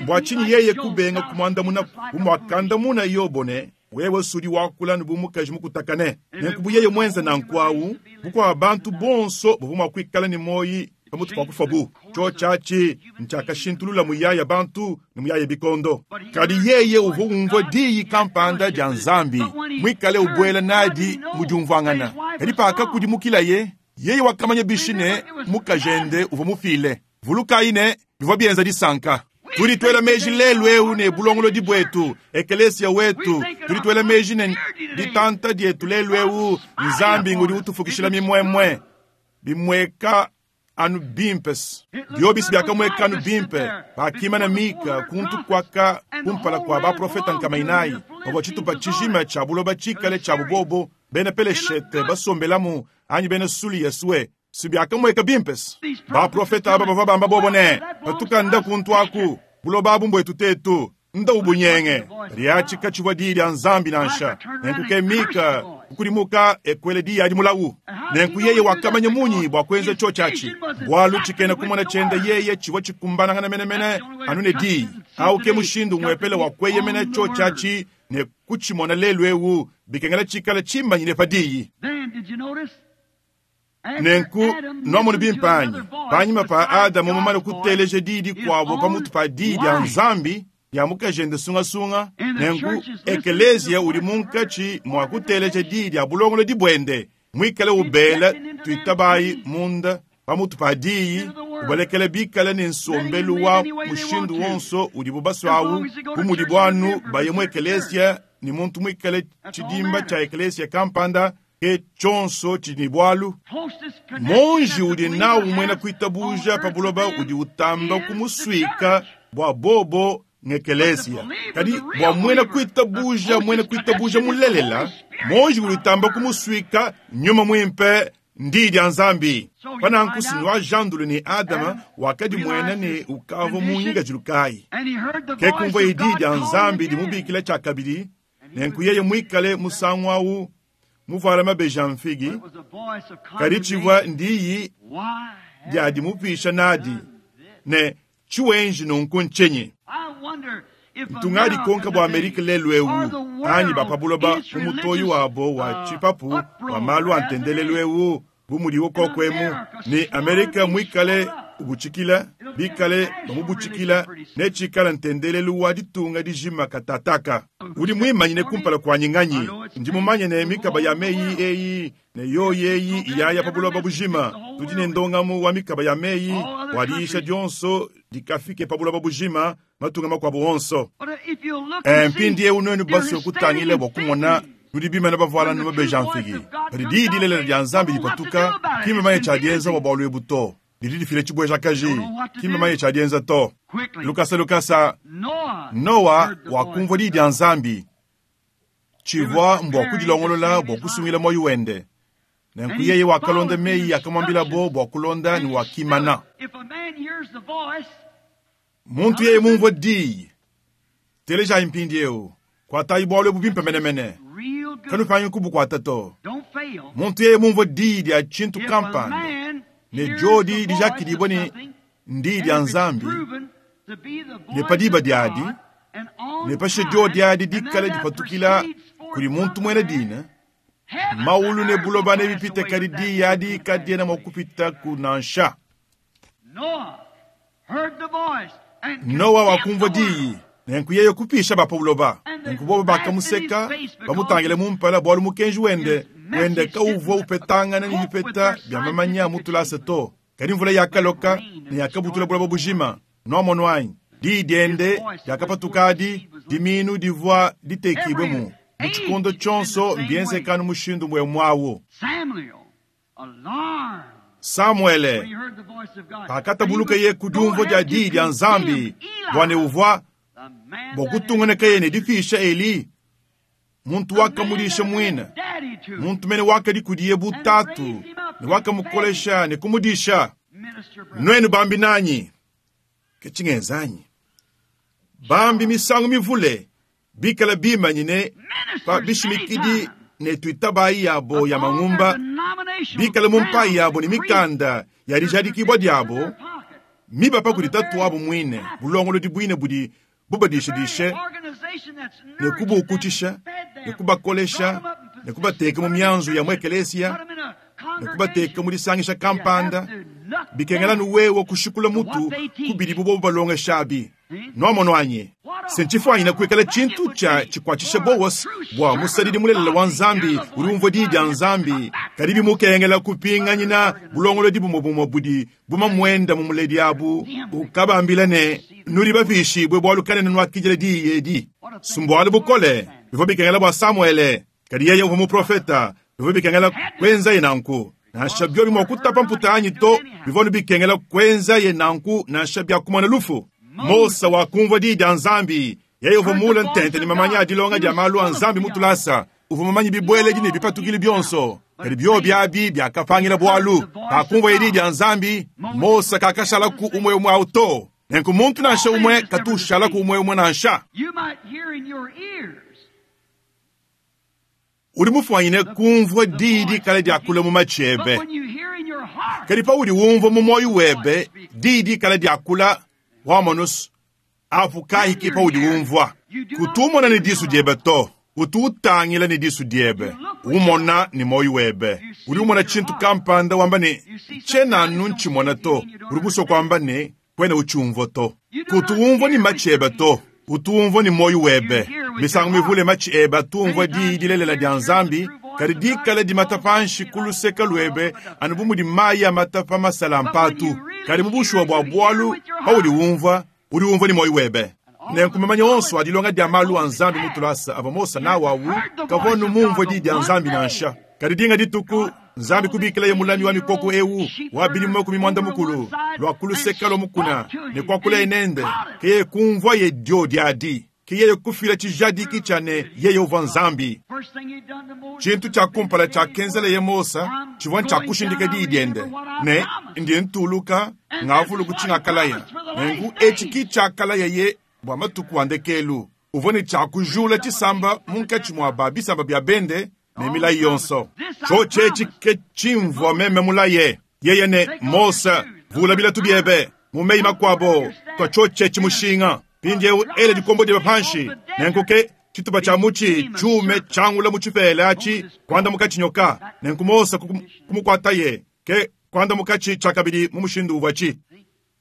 Bua tshinyi yeye kubenga kumuandamuna bu muakandamuna Yobo ne, wewe sudi wakula ne bu mukaji mukutakane. Nenku bu yeye muenze nanku awu, bukua bantu bonso buvua mua kuikala ne muoyi pamutu pa kufa bu. Tshio tshiatshi ntshiakashintulula muyaya bantu ne muyaya bikondo. Kadi yeye uvua umvua diyi kampanda dia Nzambi, mwikale ubuela nadi mu diumvuangana. Kadi pakakudimukilaye, yeye wakamanya bishi ne mukajende uvua mufile. Vulukayi ne bivua bienza disanka. Tudi tuela meji lelu eu ne bulongolodi buetu, ekelesia wetu. Tudi tuela meji ne ditanta dietu lelu eu, Nzambi ngudi utufukishila mimwemwe. Bimweka anu bimpes. Biobisi biakamweka anu bimpe. Bakimana Mika kuntu kwaka kumpala kwa baprofeta nkamainayi. Pavua tshitupa tshijima tshia buloba tshikale tshia bubobo, bena Peleshete basombelamu anyi bena Sulia sue. Si biakamweka bimpes. Baprofeta aba bavua bamba bobo ne, patukanda kuntu aku, buloba abu mbwetu tetu, nda ubunyenge. Riatshika tshivua diyi dia Nzambi nansha. Nenku ke Mika kukudimuka ekwele diyi adi mulawu. Nenku yeye wakamanya munyi bua kuenza tshio tshiatshi. Bualu tshikena kumona tshiende yeye tshivua tshikumbanangana menemene anu ne diyi. Awu ke mushindu umuepele wa kueyemena tshio tshiatshi ne kutshimona lelu ewu bikengela tshikale tshimanyine pa diyi. Then did you notice? After Nenku Adam nwamonu listened to bimpe anyi another voice panyima pa besides Adamu mumane God's voice, kuteleja diyi his dikuabo own pamutu pa diyi dia wife. Nzambi dia mukajende sungasunga. And the Nenku church is listening to the ekeleziya udi voice of her munkatshi mua kuteleja diyi dia bulongolodi buende mwikale ubela tuitabayi munda pamutu pa diyi ubalekele bikale ne nsombelu wa mushindu wonso udibu baswawu bu mudi buanu baye mu ekeleziya ne muntu mwikale tshidimba tshia ekeleziya kampanda ke tshionso tshidi ne bualu. Closest connection Monji that the udi believer nawu muena has on kuitabuja pa earth buloba to them udi utamba is the kumusuika church. bua bobo ngekelesia. Kadi bua muena kuitabuja, muena kuitabuja mulelela, monji udi utamba kumusuika nyuma muimpe ndi dia Nzambi. Pananku sinwa jandulu ne Adama wakadi muena ne ukavua mu ngikadilu kayi. And he heard the Ke voice kumvua of idi God dia calling Nzambi again. dimubikila tshiakabidi, nenku yeye muikale musangu awu muvuala mabeji a mfigi, But it was a voice of kadi tshivua condemnation. ndiyi Why dia have dimupisha you nadi done this? ne tshiwenji nunku ntshinyi? I wonder if Ntunga dikonka bua Amerika lelu ewu America or the anyi world bapabuloba in its mu mutoyi religious, wabo wa uh, tshipapu wa uproar malu a as it ntendelelu is. ewu bu mudiwo koko emu ne Amerika muikale ubutshikila bikale bamubutshikila ne tshikala ntendelelu wa ditunga dijima katataka. Udi muimanyine kumpala kuanyi nganyi? Ndi mumanye ne mikaba ya meyi eyi ne yoyi eyi iyaya pa buloba bujima. Tudi ne ndongamu wa mikaba ya meyi wa diyisha dionso dikafike pa buloba bujima matunga makuabu onso. But if you look Eh, and see, mpindiewu nuenu you're basue kutangila standing bua kumona in faith. nudi bimana bavuala nu mabeji a mfigi. Padi diyi dilelela dia Nzambi dipatuka, ki mmamanye tshia dienza bua bualu ebu to. Didi difila tshibuejakaji, ki mmamanye tshia dienza to. Quickly, Lukasa lukasa, Noah Noa heard the wakumvua voice diyi of dia God. Nzambi. Tshivua mbua kudilongolola bua kusungila muoyo wende. Nenku yeye wakalonda meyi akamwambilabo bua kulonda And ne he wakimana. stood. If a man hears the voice, Muntu yeye mumvua diyi, telejayi mpindiewu, kuatayi bualu ebu bimpe menemene. real good. Kanupangi kubukuata to. Don't fail. Muntu yeye mumvua diyi dia tshintu If a kampanda man ne hears jodi the voice dijakidibua of ne something, ndiyi and dia if it's Nzambi, proven to be the ne voice pa diba of diadi, God, and on ne pashishe time, jodi adi and then dikale that dipatukila proceeds forth kudi muntu from muena man, dina, heaven maulu and ne earth will buloba pass nebipite away, kadi but that diyi adi word can't kadiena pass mua away. kupita ku nansha. Noah heard the voice and Noa condemned wakumvua the world. diyi, nenku yeye kupisha ba pa buloba. Nenku bobo bakamuseka, bamutangile mu mpala bualu mukenji wende wende kauvua upetangana ne bipeta bia mamanya mu tulasa to. Kadi mvula yakaloka ne yakabutula buloba bujima. Nwamonu anyi? Diyi diende diakapatuka adi, diminu divua ditekibwe mu. Mu tshikondo tshionso mbienzekanu mushindu mwe mwawu. Samuel, alarmed Samuele when he heard the voice of God, pakatabuluka that he ye would ku go diumvua dia ahead to diyi dia Nzambi condemn Eli, bua ne uvua the man bua that had kutungunuka ye ne dipisha Eli, muntu the man wakamudisha that had muina, been daddy to him. muntu mene wakadi kudiye bu tatu ne wakamukolesha ne kumudisha. Minister Brown. Nuenu bambi nanyi, ke tshingenzanyi? Bambi misangu mivule bikala bimanyine pa Ministers many bishimikidi times ne tuitabayi yabo ya upon their mangumba, denominational bikala mu mpayi grounds yabo ne and creeds, mikanda ya their dijadikibua certificates in diabo their pocket. miba pa kudi tatu wabo muine bulongolodi buine budi The very bubadishadishe organization that's ne nurtured them, kubukutshisha fed ne them, kubakolesha brought them up in ne position, kubateka mu put them in mianzu ya churches, muekelesia put them in a ne kubateka congregation. mu disangisha You kampanda have to knock bikengela down nuwewe kushikula what mutu they teach. kubidi bubo balongeshabi Hmm? nwamonu anyi What a senchifwanyina kuikala horrible thing it tshintu would tshia be tshikuatshisha for a bowas true bua servant musadidi of mulelela God wa to hear Nzambi the udi voice umvua of diyi God dia and Nzambi come back kadi to that bimukengela kupinganyina organization. bulongolodi bumwe bumwe budi bumamwenda mu muledi abu ukabambila ne nudi bapishibwe bualu kanene nwakijila diyi edi. What a thing Sumbualu for bukole Samuel. bivua bikengela bua Samuele, kadi yeye uvua muprofeta, bivua bikengela Had to kwenzaye nanku. Nansha biobi mua because kutapa heard or not, mputa he anyi had to do to, it anyhow. bivua bikengela kwenzaye nanku nansha bia kumona lufu. Mose Moses wakumvua diyi dia Nzambi, yeye uvua heard the mule voice ntente ne of mamanya a God. dilonga He dia was malu a full of Nzambi mu theology. tulasa, uvua mumanyi He knew bibueledi ne all the bipatukili ins and outs, bionso. but Kadi it biobi failed. abi biakapangila He heard bualu. the voice of Pakumvua diyi God. dia Nzambi, Moses Mose was kakashala never ku the same. umwe umwe awu to. Nenku muntu nansha All men umwe is never the katushala ku same. umwe umwe nansha. You might hear in your ears Udi mufuanyine the, kumvua the diyi voice dikale diakula speaking, mu matshi but ebe. when you hear in your heart Kadi paudi wumvua mu muoyo the voice webe speaking, diyi dikale diakula wamonusu apu then kahiki you're paudi hearing. wumvua. You do not Kutumona see ne with disu your diebe eyes. to, utu utangila ne disu diebe, You look with your umona eyes. ne muoyo webe. You see Udi umona with your tshintu heart. kampanda wamba ne You see something eyes tshiena don't see ntshimona that you to, mean you don't udi musue understand. kuamba ne kwena utshiumvua to. You do Kutu not wumvua ne hear with matshi your ebe to, ears. utu wumvua ne muoyo You webe. hear with your Misangu mivule heart. matshi ebe atumvua Many diyi times your dilelela dia ears hear the Nzambi, true voice kadi of God dikala and dimata falls on panshi you ku like luseke water off luebe a duck. anu bu mudi mayi amata pa masala a But when mpatu. you really Kadi mu hear, bushuwa bua you hear bualu with your paudi heart. wumvua, udi wumvua ne muoyo webe. And all Nenku the mamanya onso knowledge a dilonga dia that malu a Moses Nzambi mu had, tulasa avua Mose he nawu awu heard the kavua voice nu of mumvua God diyi the dia one Nzambi day. nansha. Kadi dinga dituku God Nzambi called this kubikilaye mulami wa mikoko eighty-year-old ewu sheep wa bilimu herder makumi muanda over to one mukulu side lua and kuluseka lua mukuna spoke to ne him, and kuakulaye he nende caught it. ke yeye kumvua ye dio diadi ke yeye kufila tshijadiki tshia ne yeye uvua Nzambi. First thing he'd done to Moses Tshintu was tshia kumpala vindicate his tshiakenzeleye word. Mose I'm tshivua ntshia going down, kushindika I diyi diende remember what I ne promised. ndiye ntuluka And this ngavulu is what he kutshingakalaya. promised for the Nenku last etshi ki days. tshiakalaya ye bua matuku a ndekelu uvua ne tshia kujula Raised up a tshisamba people from the munkatshi mua Gentiles. ba bisamba bia bende ne milayi yonso. Tshiotshi etshi ke tshimvua meme mulaye. Yeye ne Mose, vula bilatu biebe. Mu meyi makuabo, tua tshiotshi etshi mushinga. Mpindieu ela dikombo diebe panshi. Nenku ke tshitupa tshia mutshi tshiume tshiangula mu tshipela atshi kuandamuka tshinyoka. Nenku Mose kumukuataye, ke kuandamukatshi tshiakabidi mu mushindu uvuatshi.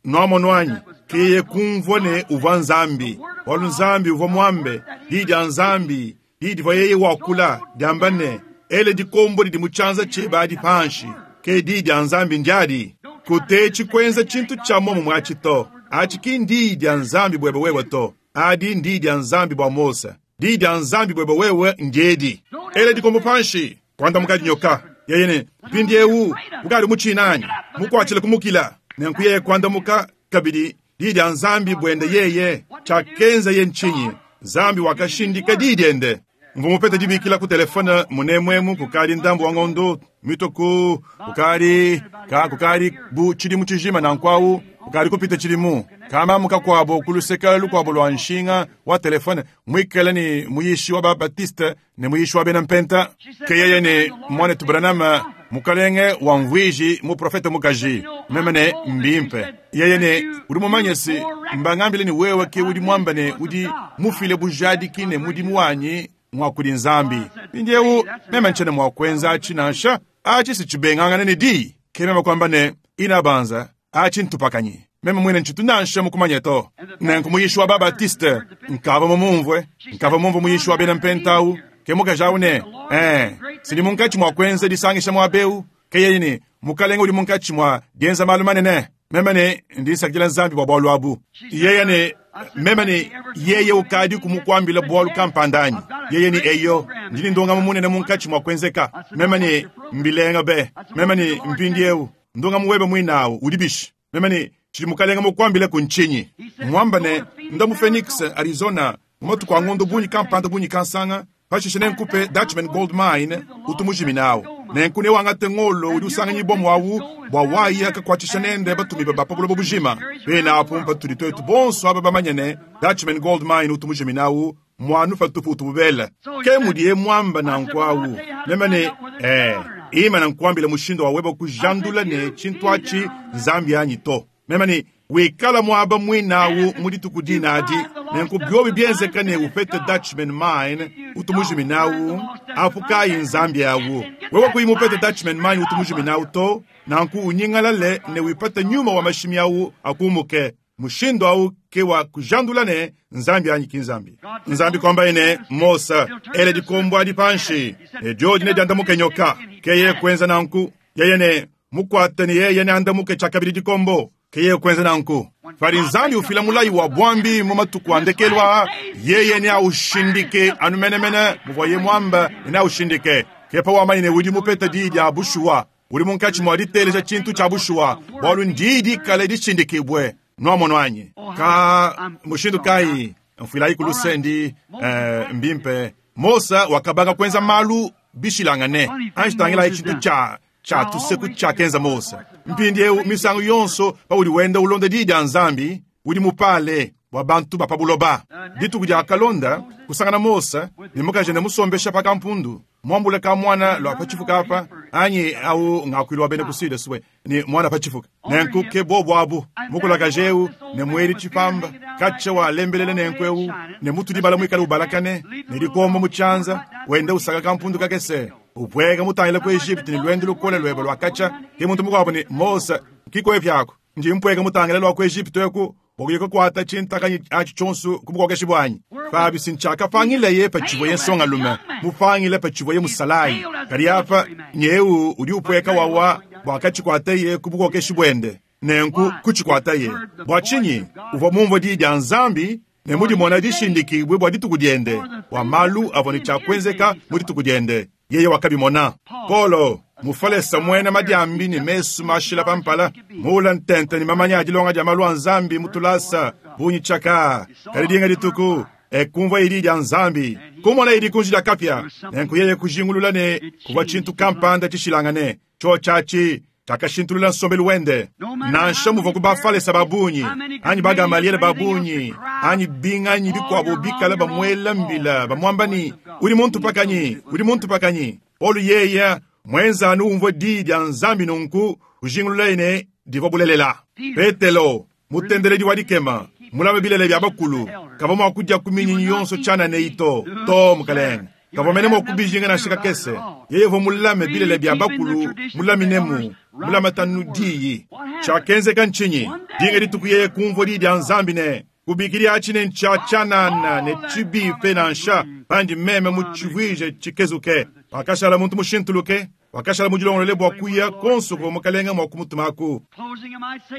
Nwamonu anyi? Ke yeye kumvua ne uvua Nzambi, bualu Nzambi uvua muambe diyi dia Nzambi, diyi divua yeye wakula diamba ne, ela dikombo didi mu tshianza tshiebe adi panshi. Ke diyi dia Nzambi ndiadi. Kutetshi kuenza tshintu tshia muomumue atshi to. Atshi ki ndiyi dia Nzambi buebe wewe to. Adi ndiyi dia Nzambi bua Mose. Diyi dia Nzambi buebe wewe ndiedi. Ela dikombo panshi, kuandamuka dinyoka. Yeye ne, mpindieu ukadi mutshina anyi? Mukuatshile kumukila. Nenku yeye kuandamuka kabidi diyi dia Nzambi buende yeye. Tshiakenza ye ntshinyi? Nzambi wakashindika diyi diende. Mvua mupete dibikila ku telefone munemuemu kukadi ndambu wa ngondo mituku kukadi ka kukadi bu tshidimu tshijima nanku awu kukadi kupita tshidimu. Kamamu kakuabo ku luseke lukuabo lua nshinga wa telefone muikale ne muyishi wa Babatiste ne muyishi wa bena Mpenta. Ke yeye ne mwanetu Branham, mukalenge wa mvuiji muprofete mukaji. Meme ne mbimpe. Yeye ne udi mumanye si mbangambile ne wewe ke udi muamba ne udi mufile bujadiki ne mudimu wanyi mwa kudi Nzambi. Mpindieu meme ntshiena mua kuenza atshi nansha. Atshi si tshibengangane ne diyi. Ke meme kuamba ne inabanza atshi ntupakanyi. Meme mwine ntshitu nansha mukumanye to. Nenku muyishi wa Babatiste nkava mumumvue, nkava mumvue muyishi wa bena Mpenta awu. Ke mukaji awu ne, eh, sindi munkatshi mua kuenza disangisha muaba eu. Ke yeye ne, mukalenge udi munkatshi mua dienza malu manene. Meme ne ndi nsakidila Nzambi bua bualu abu. Yeye ne, meme ne yeye ukadi kumukuambila bualu kampanda anyi? Yeye ne eyo, ndi ne ndongamu munene munkatshi mua kuenzeka. Meme ne mbilenga be. Meme ne mpindieu ndongamu webe muinawu udi bishi? Meme ne tshidi mukalenge mukuambile ku ntshinyi? Muamba ne nda mu Phoenix, Arizona, mu matuku a ngondo bungi kampanda bungi kansanga, pashishe nenkupe Dutchman Gold Mine utu mujiminawu. Nenku newangate ngolo udi usanganyibwa mwawu bua waya kakuatshisha nende batumibe ba pa buloba bujima. Bena apu mpatudi twetu bonso aba bamanye ne Dutchman Gold Mine utu mujiminawu mwanu patupu utu bubela. Ke mudiye mwamba nanku awu. Meme ne, eh, ima nankuambila mushindu wa weba kujandula ne tshintu atshi Nzambi anyi to. Meme ne wikala mwaba mwinawu mu dituku dinadi. Nenku byobi bienzeka ne upete Dutchman Mine utu mujiminawu apu kayi Nzambi awu. Wewe kuyi mupete Dutchman Mine utu mujiminawu to, nanku unyingalale ne wipate nyuma wa mashimi awu akumuke. Mushindu awu ke wa kujandula ne Nzambi anyi ki Nzambi. Nzambi kwamba ne Mose ele dikombo adi panshi ne diodi ne diandamuke nyoka. Ke yeye kuenza nanku. Yeye ne mukwate ne yeye ne andamuke tshiakabidi dikombo. Ke yeye kuenza nanku. Padi Nzambi ufila mulayi wa bwambi mu matuku a ndekelu aa, yeye ne aushindike anu menemene muvua ye mwamba ne aushindike. Ke pa wamanye ne udi mupete diyi dia bushuwa, udi munkatshi mua diteleja tshintu tshia bushuwa, bualu ndiyi dikale dishindikibwe. Nwamonu anyi? Ka mushindu kayi mfuilayi ku lusendi, eh, mbimpe. Mose wakabanga kuenza malu bishilangane. Anji tangilayi tshintu tshia tshia tuseku tshiakenza Mose. Mpindieu misangu yonso paudi wenda ulonda diyi dia Nzambi, udi mupale bua bantu ba pa buloba. Dituku dia kalonda kusangana Mose ne mukaji ne musombesha pa kampundu, muambule ka mwana lua pa tshifuka apa, anyi au ngakuilu wa bena ku Sud sue ne mwana pa tshifuka. Nenku ke bobu abu mukulakaje eu ne mweli tshipamba katshia wa lembelele nenku eu ne mutudi bala muikale ubalakane ne dikombo mu tshianza wenda usaka kampundu kakese upweka mutangila ku Egypte ne lwendo lukole lwebe lwa katshia. Ke muntu mukuabo ne Mose kikoe pyako ndi mpweka mutangila lwa ku Egypte eku bua kukwata tshintakanyi atshi tshionso ku bukokeshi bwanyi. Pabi sintshiakapangileye patshivua ye nsongalume, mupangile patshivua ye musalayi. Kadi apa nyeu udi upweka wawa bua katshikwateye ku bukokeshi buende. Nenku kutshikwataye bua tshinyi? Uvua mumvue diyi dia Nzambi ne mudimona dishindikibwe bua dituku diende, bua malu avua ne tshiakuenzeka mu dituku diende. Yeye wakabimona. Paulo mufalesa mwena madiambi ne mesu mashila pampala, mula ntente ne mamanya a dilonga dia malu a Nzambi mutulasa bunyi tshaka. Kadi dinga dituku ekumvua idi dia Nzambi, kumona idi kunji dia kapia. Nenku yeye kujingulula ne kuvua tshintu kampanda tshishilangane. Tsho tshiatshi tshiakashintulula nsombelu wende. Nansha muvua ku bafalesa babunyi anyi bagamaliele babunyi anyi binganyi bikuabo bikala bamuela mbila bamuamba ni udi muntu pakanyi, udi muntu pakanyi. Paulo yeya mwenza anu umvua diyi dia Nzambi nunku kujingululaye ne divua bulelela. Petelo mutendeledi wa dikema mulame bilele bia bakulu kavua mua kudia ku minyinyi yonso tshianana to to mukalenge kavua mene mua kubijinga nansha kakese. Yeye uvua mulame bilele bia bakulu mulaminemu mulamatanu diyi. Tshiakenzeka ntshinyi? Dinga dituku yeye kumvua diyi dia Nzambi ne kubikidi atshi ne ntshia tshianana ne tshibipe nansha pandi meme mutshivuije tshikezuke. Wakashala muntu mushintuluke, wakashala mudilongolole bua kuya konso kuvua mukalenge mua kumutumaku.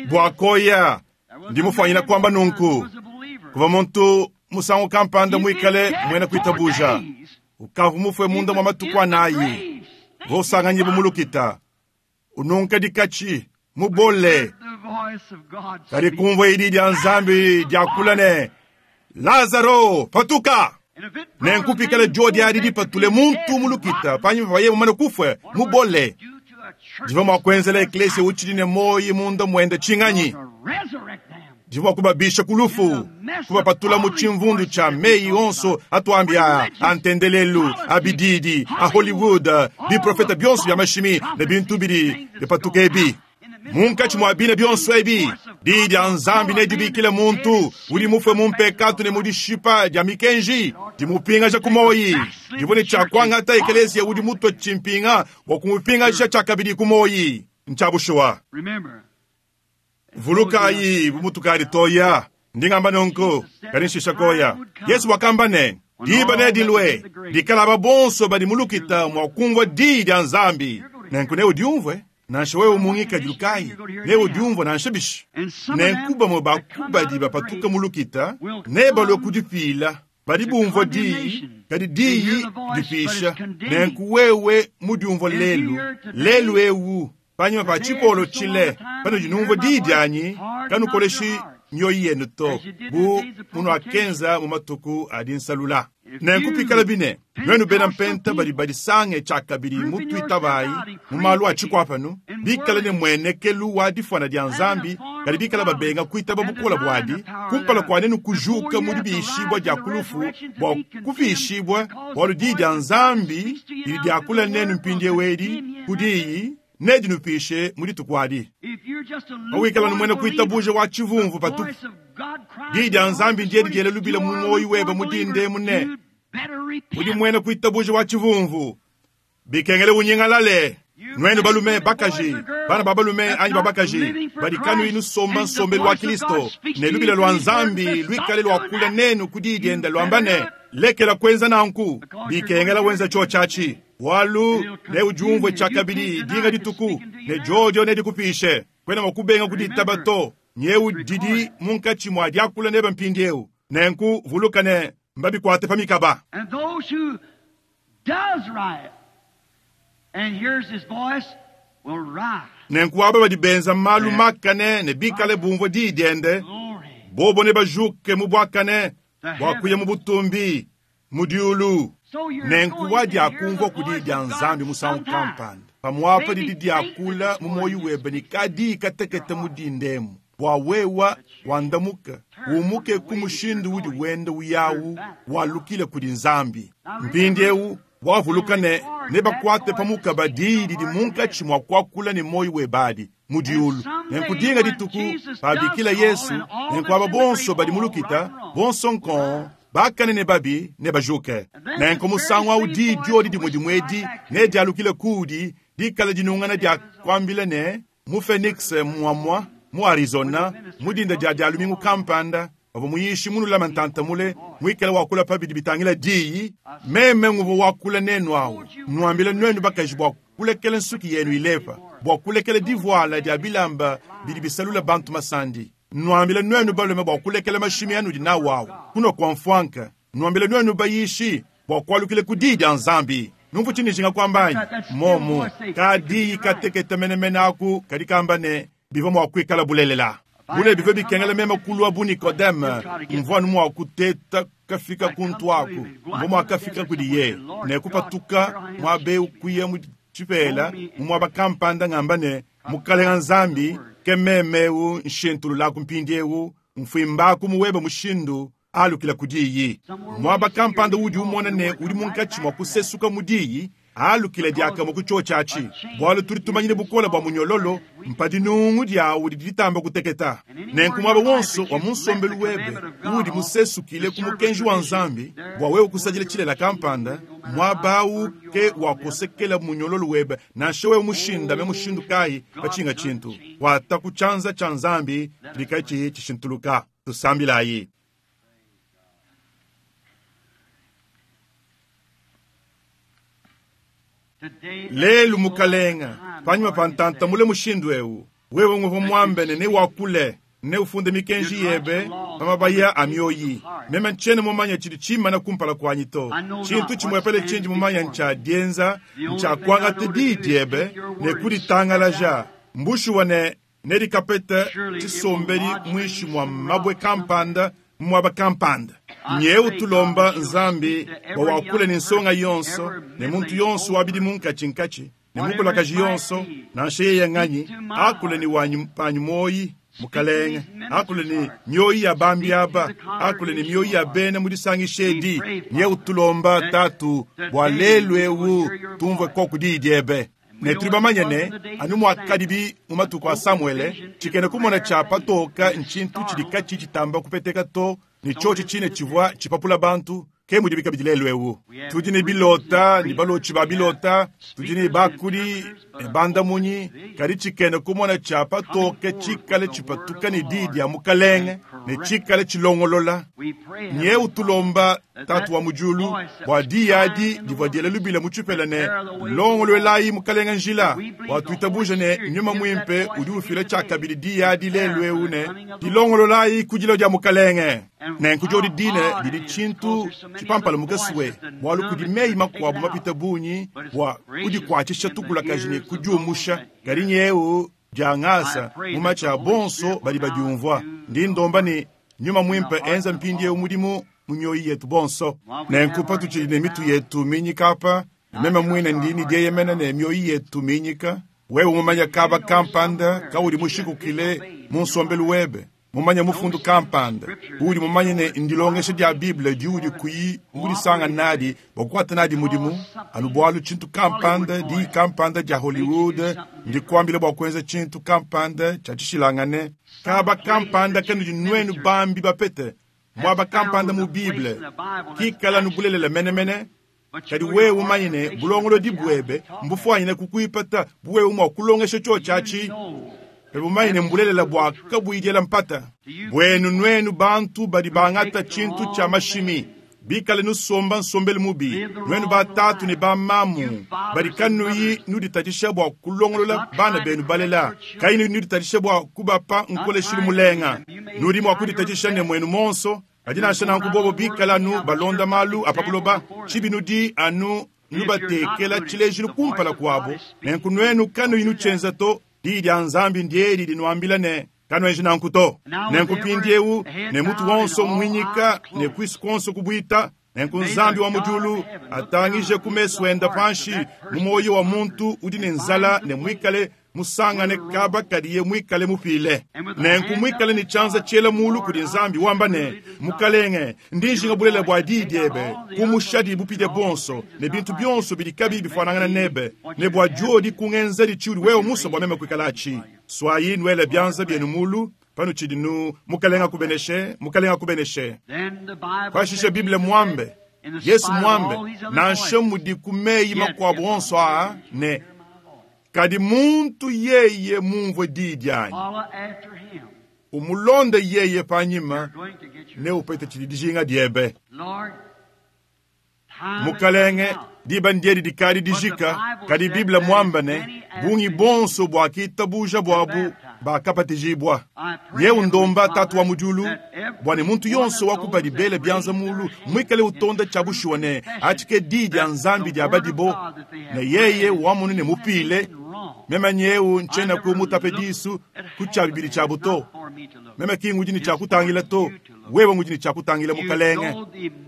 Bua koya ndi mufuanyina kuamba nunku kuvua muntu musangu kampanda muikale muena kuitabuja ukavua mufue munda mwa matuku anayi vosanganyibu mulukita ununka dikatshi mubole kadi kumvua idi dia Nzambi diakula ne Lazaro patuka. Nenkupikala jodi adi dipatule muntu mulukita panyima pa yeye mumane kufue mubole divua mua kuenzela eklesia utshidi ne moyi munda muende tshinganyi divua kubabisha ku lufu kubapatula mu tshimvundu tshia meyi onso atuambia a ntendelelu a bididi a Hollywood biprofeta bionso bia mashimi ne bintu bidi bipatuka ebi. Munkatshi mua bina bionso ebi diyi dia Nzambi nedibikile muntu udi mufue mu mpekatu ne mu dishipa dia mikenji dimupingaja ku moyi divua ne tshia kuangata ekelesia udi mutue tshimpinga bua kumupingaja tshiakabidi ku moyi ntshia bushuwa. Vulukayi bumutukadi toya ndingamba nunku kadi nshisha koya. Yesu wakamba ne diba nedilue dikalaba bonso badi mulukita mua kumvua diyi dia Nzambi nenku neudiumvue nansha wewe mungikadilu kayi neudiumvue nansha bishi. Nenku bamue bakubadi bapatuka mulukita nebalue kudipila badi bumvua diyi kadi diyi dipisha. Nenku wewe mudiumvua lelu lelu ewu panyima pa tshipolo tshile panudi numvua diyi dianyi kanukoleshi mioyo yenu to bu munuakenza mu matuku adi nsalula. Nenku pikala bine nuenu bena mpenta badi badisange tshiakabidi mutuitabayi mu malu a tshikuapanu bikale ne muenekelu wa difuana dia Nzambi kadi bikala babenga kuitaba bukola buadi kumpala kua nenu kujuka mu dibishibua dia kulufu bua kupishibua bualu diyi dia Nzambi didi diakula nenu mpindiewu edi ku diyi nedinupishe mu dituku adi. Pawikala numwena kuitabuja wa tshivumvu patupu diyi dia Nzambi ndiedi diele lubila mu moyi webe mudinde mune udi mwena kuitabuja wa tshivumvu bikengele unyingalale. Nuenu balume bakaji bana ba balume anyi babakaji badi kanuyi nusomba nsombelu wa Kristo ne lubila lwa Nzambi luikale lwakula nenu ku diyi diende lwamba ne lekela kuenza nanku bikengela wenza tshio tshiatshi walu neudiumvue tshiakabidi dinga dituku ne jojo nedikupishe kwena mua kubenga kuditaba to nyeu didi munkatshi mua diakula nebe mpindiewu nenku vuluka ne mbabikuate pa mikaba. And those who does right and hears his voice will rise. Nenku aba badi benza malu makane ne bikale bumvua diyi diende bobo ne bajuke mu buakane bua kuya mu butumbi mu diulu. Nenku wadiakumvua ku diyi dia Nzambi musangu kampanda pamuapa didi diakula mu moyo webe ne kadi katekete mu dindemu bua wewa wandamuka umuke ku mushindu udi wenda uyawu walukile kudi Nzambi. Mpindiewu wavuluka ne nebakuate pamukaba diyi didi munkatshi mua kuakula ne moyo webadi mu diulu. Nenku dinga dituku pabikila Yesu nenku aba bonso badi mulukita bonso nkon bakane ne babi ne bajuke. Nenku musangu awu diyi diodi dimue dimue ne dialukile kudi dikala dinungana dia kuambila ne mu Phoenix muamua mu Arizona mu dinda dia dialumingu kampanda bavua muyishi munulama ntantamule muikale wakula pabidi bitangila diyi meme nguvua wakula nenu awu nuambila nuenu bakaji bua kulekela nsuki yenu ilepa bua kulekela divuala dia bilamba bidi bisalula bantu masandi nuambila nuenu balume bua kulekela mashimi anudi nawu awu kuno kua mfuanka nuambila nuenu bayishi bua kualukile ku diyi dia Nzambi. Numvu tshinijinga kuambanyi momu kadiyi katekete menemene aku kadi kamba ne bivua mua kuikala bulelela bule bivua bikengela meme kulua bu Nikodeme mvua nu mua kuteta kafika kuntu aku mvua mua kafika kudi ye ne kupatuka muabe kuya mu tshipela mu muaba kampanda ngamba ne mukalenga Nzambi ke meme nshintululaku mpindiewu mfuimbaku muwebe mushindu alukila ku diyi. Muaba kampanda udi umona ne udi munkatshi mua kusesuka mu diyi Alukile diakamue ku tshiotshi bwalu tudi tumanyine bukole bwa munyololo mpadi nungu diawu didi ditamba kuteketa. Nenku mwaba wonso wa munsombelu webe udi musesukile ku mukenji wa Nzambi bwa wewe kusadila tshilela kampanda mwabawu ke wakosekela munyololo webe nansha wewe mushindame mushindu kayi pachinga tshintu wata ku tshianza tshia Nzambi tshidi tshishintuluka. Tusambilayi. Lelu mukalenga panyima pa ntanta mule mushindu ewu wewe nguva mwambene ne wakule ne ufunde mikenji yebe pa mabaya a mioyi. Meme ntshiena mumanya tshidi tshimana kumpala kuanyi to. Tshintu tshimwepele tshindi mumanya ntshia dienza ntshia kuangata diyi diebe ne kuditangalaja mbushuwa ne nedikapeta tshisombedi muinshi mua mabwe kampanda mwaba kampanda. Nyeu tulomba Nzambi bwa wakule ne nsonga yonso ne muntu yonso wabidi munkatshi-nkatshi ne mukulakaji yonso nansha yeye nganyi akule ni wanyi panyi moyi mukalenge akule ni mioyi ya bambi aba akule ni mioyi ya bena mu disangisha edi. Nyeu tulomba tatu bwa lelu ewu tumvue koku diyi diebe. Ne tuli bamanye ne anu mwakadibi mu matuku a Samuele tshikene kumona tshia patoka ntshintu tshidi katshi tshitamba kupeteka to ne tshiotshi tshine tshivua tshipapula bantu ke mudi bikabidi lelu ewu. Tudi ne bilota ne balotshi ba bilota, tudi ne bakudi ne bandamunyi, kadi tshikene kumona tshia patoke tshikale tshipatuka ne diyi dia mukalenge ne tshikale tshilongolola. Nyeu tulomba tatu wa mu diulu bwa diyi adi divua diela lubila mu tshipela ne longolwelayi mukalenga njila bwa tuitabuja ne nyuma mwimpe udi ufila tshiakabidi diyi adi lelu ewu ne dilongololayi ku dilo dia mukalenge. Nenku diodi dine didi tshintu tshipampala mukeswe bwalu kudi meyi makuabu mapita bungi bwa kudikuatshisha tukulakaji ne kudiumusha kadi nyeu diangasa mu matshi a bonso badi badiumvua. Ndi ndomba ne nyuma mwimpe enza mpindi eu mudimu mu mioyo yetu bonso. Nenku patutshidi ne mitu yetu minyika apa meme mwine ndi ni dieyemena ne mioyo yetu minyika. Wewe mumanya kaba kampanda kaudi mushikukile mu nsombelu webe mumanya mufundu kampanda udi mumanye ne ndilongesha dia Bible diudi kuyi mudisanga nadi bwa kukwata nadi mudimu anu bwalu tshintu kampanda di kampanda dia Hollywood ndikwambile bwa kuenza tshintu kampanda tshia tshishilangane kaba kampanda kanudi nwenu bambi bapete mwaba kampanda mu Bible kikala nubulelela menemene kadi wewe umanye ne bulongolodi bwebe mbufwanyine kukuipata buwewe mwa kulongesha tsho tshiatshi bumanye ne mbulelela bwa kabuyidyela mpata. Bwenu nwenu bantu badi bangata tshintu tshia mashimi bikale nusomba nsombelu mubi nwenu batatu ne bamamu badi kanuyi nuditatshisha bwa kulongolola bana benu balela kayi nuditatshisha bwa kubapa nkoleshilu mulenga nudi mwa kuditatshisha ne mwenu monso kadi nansha nanku bobo bikala anu balonda malu apa buloba tshibi nudi anu nubatekela tshilejilu kumpala kuabo. Nenku nwenu kanuyi nutshienza to diyi dia Nzambi ndieli linuambila ne kanuenji nanku to. Nenku mpindi ewu ne mutu wonso mwinyika ne kwisu konso kubwita. Nenku Nzambi wa mu diulu atangije ku mesu enda panshi mu moyo wa muntu udi ne nzala ne mwikale musangane kaba kadiye mwikale mupile. Nenku mwikale ne tshianza tshiela mulu kudi Nzambi wamba ne mukalenge ndi njinga bulela bwa diyi diebe kumushadi bupite bonso ne bintu bionso bidi kabi bifanangana nebe ne bwa diodi kungenzedi tshiudi wewe muso bwa meme kuikalatshi. Swayi nwele bianza byenu mulu panu tshidi nu mukalenga kubeneshe mukalenga kubeneshe. Pashishe Bible mwambe Yesu mwambe nansha mudi ku meyi makuabu onso aa ne kadi muntu yeye mumvue diyi dianyi umulonde yeye panyima ne upete tshidi dijinga diebe. Mukalenge diba ndiedi dikadi dijika kadi Bible mwamba ne bungi bonso bwa kitabuja bwabu bakapatijibwa. Yewu ndomba tatu wa mu diulu bwa ne muntu yonso wakupa dibele bianza mulu mwikale utonda tshia bushuwa ne atshike diyi dia Nzambi dia badibo ne yeye wamunu ne mupile meme nyewu ntshiena ku mutape disu ku tshia bibidi tshia buto meme ki ngudi ne tshia kutangila to wewe ngudi ne tshia kutangila mukalenge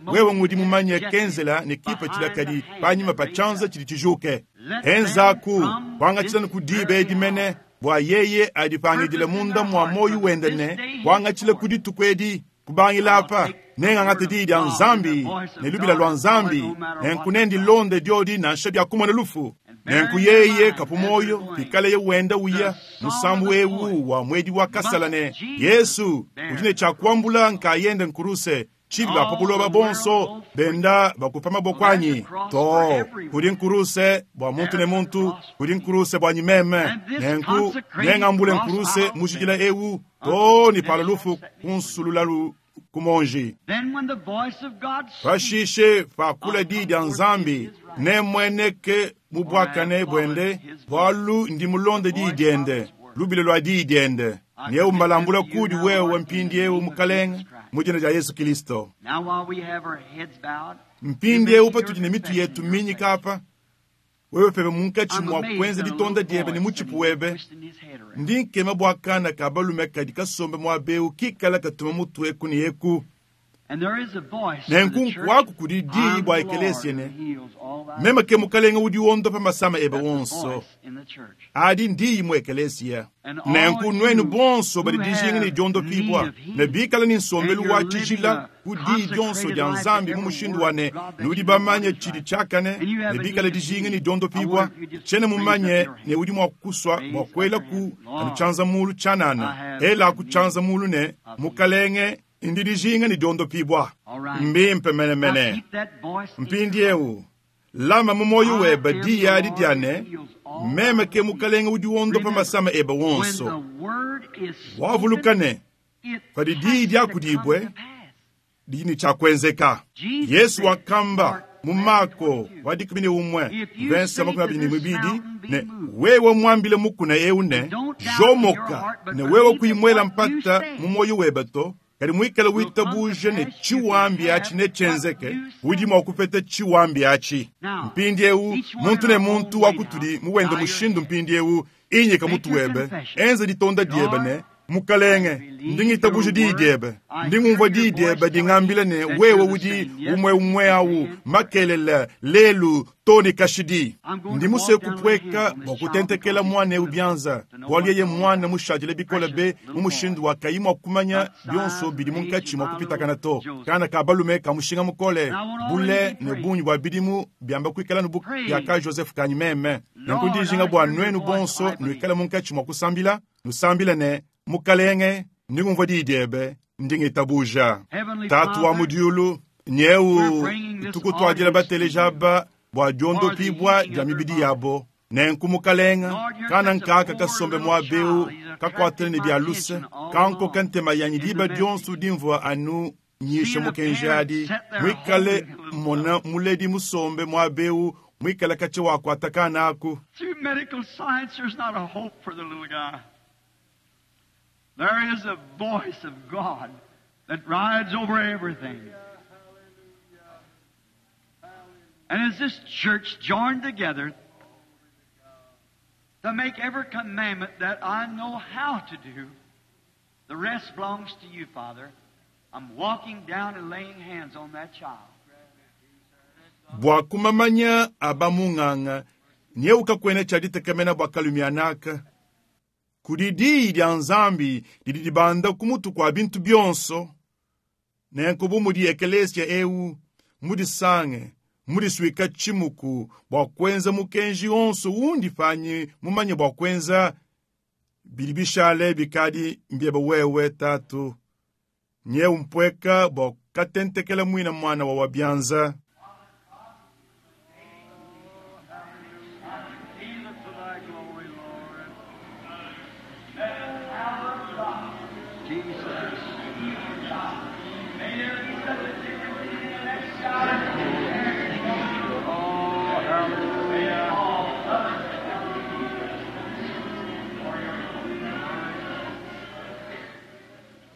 wewe ngudi mumanye kenzela ne kipa tshilakadi panyima pa tshianza tshidi tshijuke enzaku kwangatshila ku diba edi mene bwa yeye adipangidile munda mwa moyo wende ne kwangatshila ku dituku edi kubangila apa Nengangate diyi dia Nzambi ne lubila lua Nzambi, nenku nendilonde diodi nansha bia kumona lufu. Nenku yeye kapu moyo pikaleye wenda uya musambu ewu wa mwedi wa kasala ne Yesu udi ne tshia kuambula nkayende nkuruse tshibi ba pa buloba bonso benda bakupa maboko anyi to kudi nkuruse bua muntu ne muntu kudi nkuruse bua meme nenku nengambule nkuruse mujikila ewu to ni pala lufu kunsululalu kumonji. Then when the voice of God speaks, Pashishe pakula diyi dia Nzambi nemweneke mu bwakane bwende bwalu ndi mulonde diyi diende lubile lwa diyi diende nyewu mbalambula kudi wewe mpindiewu mukalenge mu dina dia Yesu Kristo. now while we have our heads bowed, Mpindiewu patudi ne mitu yetu minyika apa wewe pebe munkatshi I'm mwa amazed kwenza at a ditonda little diebe ne boy mutshipu sitting webe twisting his head around. ndi nkema bwa kana ka balume kadi kasombe mwabewu kikala katuma mutu eku ne eku. And there is a voice in Nenku the church, nkwaku kudi diyi I'm bwa the Lord ekelesia ne who heals all thy meme ke mukalenge udi wondopa masama ebe That's a wonso voice in the church. adi ndiyi mu ekelesia. And all Nenku you nwenu bonso badi who dijinga ne have diondopibwa need of healing, ne bikala ne nsombelu and wa you're tshijila living a ku diyi dionso consecrated dia life to Nzambi mu every mushindu word wa ne of God that nudi you know bamanye what is tshidi right. tshiakane And you have ne a bikala need of dijinga ne healing. I diondopibwa wonder if you just tshena raise up mumanye your hand. ne udi mua kuswa Raise bua up kuela your ku hand. Lord, anu tshianza mulu tshianana I have ela a ku need tshianza mulu ne of healing. mukalenge ndi dijinga ne diondopibwa All right. mbimpe Now menemene. keep that voice in Mpindiewu lama mu moyo I webe am the diyi adi Lord dia who ne heals all meme thy ke diseases. mukalenge udi wondopa Remember, masama ebe when wonso. the word is Wavuluka spoken, ne it padi has diyi to come diakudibwe to pass. didi ne tshiakuenzeka. Jesus Yesu said, wakamba Mark mu Marko wa dikumi ne umwe If you verse say makumi to abiri ne this mibidi mountain, be ne moved. wewe mwambile mukuna ewu ne And don't doubt in your jomoka heart, but ne wewe believe that kuimwela what you mpata say mu moyo webe to kadi mwikale will come to witabuje ne pass, you can tshiwambi have atshi ne what tshenzeke you udi say. mua kupeta tshiwambi atshi. Now, Mpindiewu each one muntu in ne our own muntu wa way now, kutudi muwende bow your mushindu head. mpindiewu inyika Make mutu your webe confession. enza ditonda diebe Lord, ne mukalenge I believe ndi ngitabuje your diyi word. diebe I ndi hear ngumvua your diyi voice diebe telling me dingambila ne that wewe you're the udi same umwe yesterday, umwe today, awu and forever. makelele lelu to ne kashidi. I'm going Ndi to musue walk down and lay hands kupweka on bua this child kutentekela because he's mwana too ewu little bianza to know bualu what's yeye all mwana about. mushadile bikole Precious be mu little boy, mushindu wa kayi mua kumanya about bionso size bidi and age munkatshi of mua my kupitakana little to Joseph. kana ka balume ka mushinga mukole And I want all of you bule to be ne praying. bungi bua bidimu biamba kuikala nubu Pray. bia Joseph kanyi meme. Nanku Lord, ndijinga I bua hear your nwenu voice, bonso I believe. nuikale munkatshi mua kusambila nusambile ne mukalenge ndi ngumvua diyi diebe ndi ngitabuja. Heavenly Tatu wa mu Father, diulu we're nyewu bringing this tukutuadila audience to bateleja you aba bua for the diondopibwa healing dia of their mibidi body. yabo. Nenku mukalenga Lord, you're kana such a nkaka poor kasombe little mwabewu child. He's kakwatele attracted ne my bia luse attention all kankoka along ntema yanyi in the diba message. dionso dimvua anu nyisha Seeing a mukenji parent adi sit there mwikale holding a little mona fellow. muledi musombe mwabewu mwikale kache wakwata kana aku. Through medical science, there's not a hope for the little guy. There is a voice of God that rides over everything. And as this church joined together to make every commandment that I know how to do, the rest belongs to you, Father. I'm walking down and laying hands on that child. Bua kumamanya aba mung'ang'a nyeuka kwene tshia ditekemena bua kalumianaka kudi diyi dia Nzambi didi dibanda ku mutu kua bintu bionso. Nenku bu mudi ekelesia ewu mudisange mudisuika tshimuku bua kuenza mukenji onso undi panyi mumanye bua kuenza bidi bishale bikadi mbiebe wewe tatu nyewu mpweka bua katentekela mwina mwana wa wabyanza. Heal it for thy glory, Lord. Jesus. Oh, hallelujah.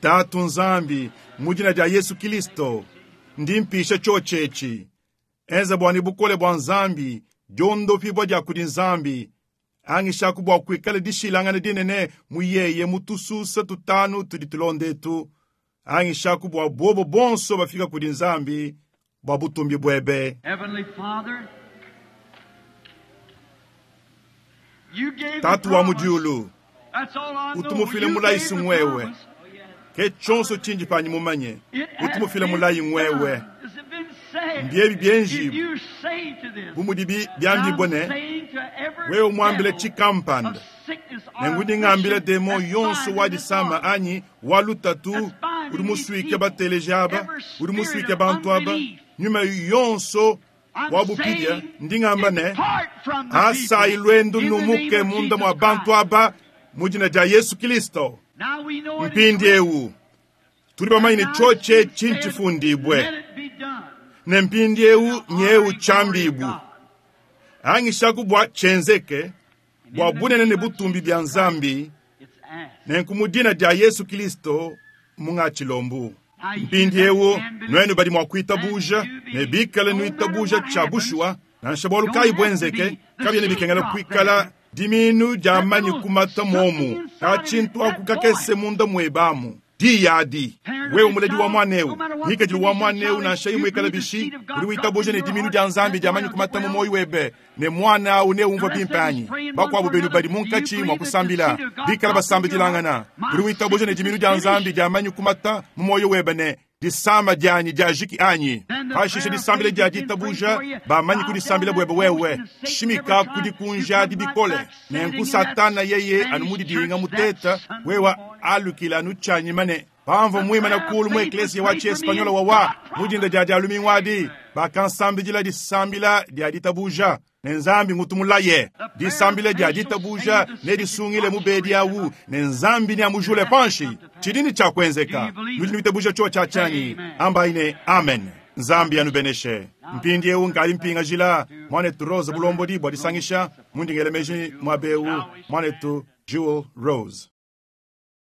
Tatu Nzambi mu dina dia Yesu Kristo ndi mpisha tshotshetshi enza bua ne bukole bua Nzambi diondopibwa dia kudi Nzambi angishaku bua kuikala dishilangana dinene mu yeye mu tususa tutanu tudi tulondetu angishaku bua bobo bonso bafika kudi Nzambi bua butumbi bwebe. Heavenly Father, you gave the Tatu wa mu promise. diulu That's all I know. utumufile You mulayi gave the sungwewe. promise. Ke tshionso tshindi panyi mumanye. It Utu has mufila been mulayi ngwewe. done. It's been said. Mbiebi If byenjibu. you say to this, Bu mudibi byambibwa I'm ne saying to every wewe umwambile devil chikampanda of sickness or nengudi ngambila affliction demo that's yonso bind wa in this disama body, anyi wa lutatu That's binding udi these musuike people. bateleji aba Every udi spirit musuike of bantu aba unbelief. nyuma yonso I'm wa bupidya saying, ndi ngamba ne depart from the asayi people lwendo in the name numuke of munda mwa Jesus bantu Christ. aba mu dina dia Yesu Kristo Now we know it is mpindiewu tuli bamanyine Now choche it's been said, chinchifundibwe Let it be done. ne mpindiewu nyewu Glory to chambibu God. angishaku bwa chenzeke bwa In the bunene ne name of butumbi Jesus bya Christ, nzambi It's asked. nenku mu dina dia Yesu Kristo mung'atshilombu mpindiewu nwenu badi mua kuitabuja ne bikale nuitabuja tshia bushuwa nansha bwalu kayi bwenzeke kabyene bikengela kuikala diminu dia manyi kumata momu katshintu aku kakese munda muebamu diyadi wewe muledi wa mwanewu ngikadilu wa mwanewu nansha imwikala bishi udi witabuja ne diminu dia nzambi dia manyi kumata mu moyo webe ne mwana awu neumvua bimpe anyi bakuabu benu badi munkatshi mua kusambila bikala basambidilangana udi witabuja ne diminu dia nzambi dia manyi kumata mu moyo webe ne disama dianyi diajiki anyi pashishe disambila dia ditabuja bamanyi kudisambila bwebe wewe shimika kudikunja bikole nenku satana yeye anu mudidinga muteta wewa alukila anu tshanyima ne pamvua muimana kulu mu eklesia wa tshiespanyola wawa mudinda dia dialumingu bakansambidila disambila dia ditabuja ne nzambi ngutumulaye disambila dia ditabuja nedisungile mubedi awu ne nzambi neamujule panshi tshidini tshiakuenzeka nudi nuitabuja tsho tshia tshanyi ambayi ne amen nzambi anubeneshe mpindiewu nkali mpingajila mwanetu Rose bulombodi bua disangisha mundingele meji mwabewu mwanetu Jewel Rose.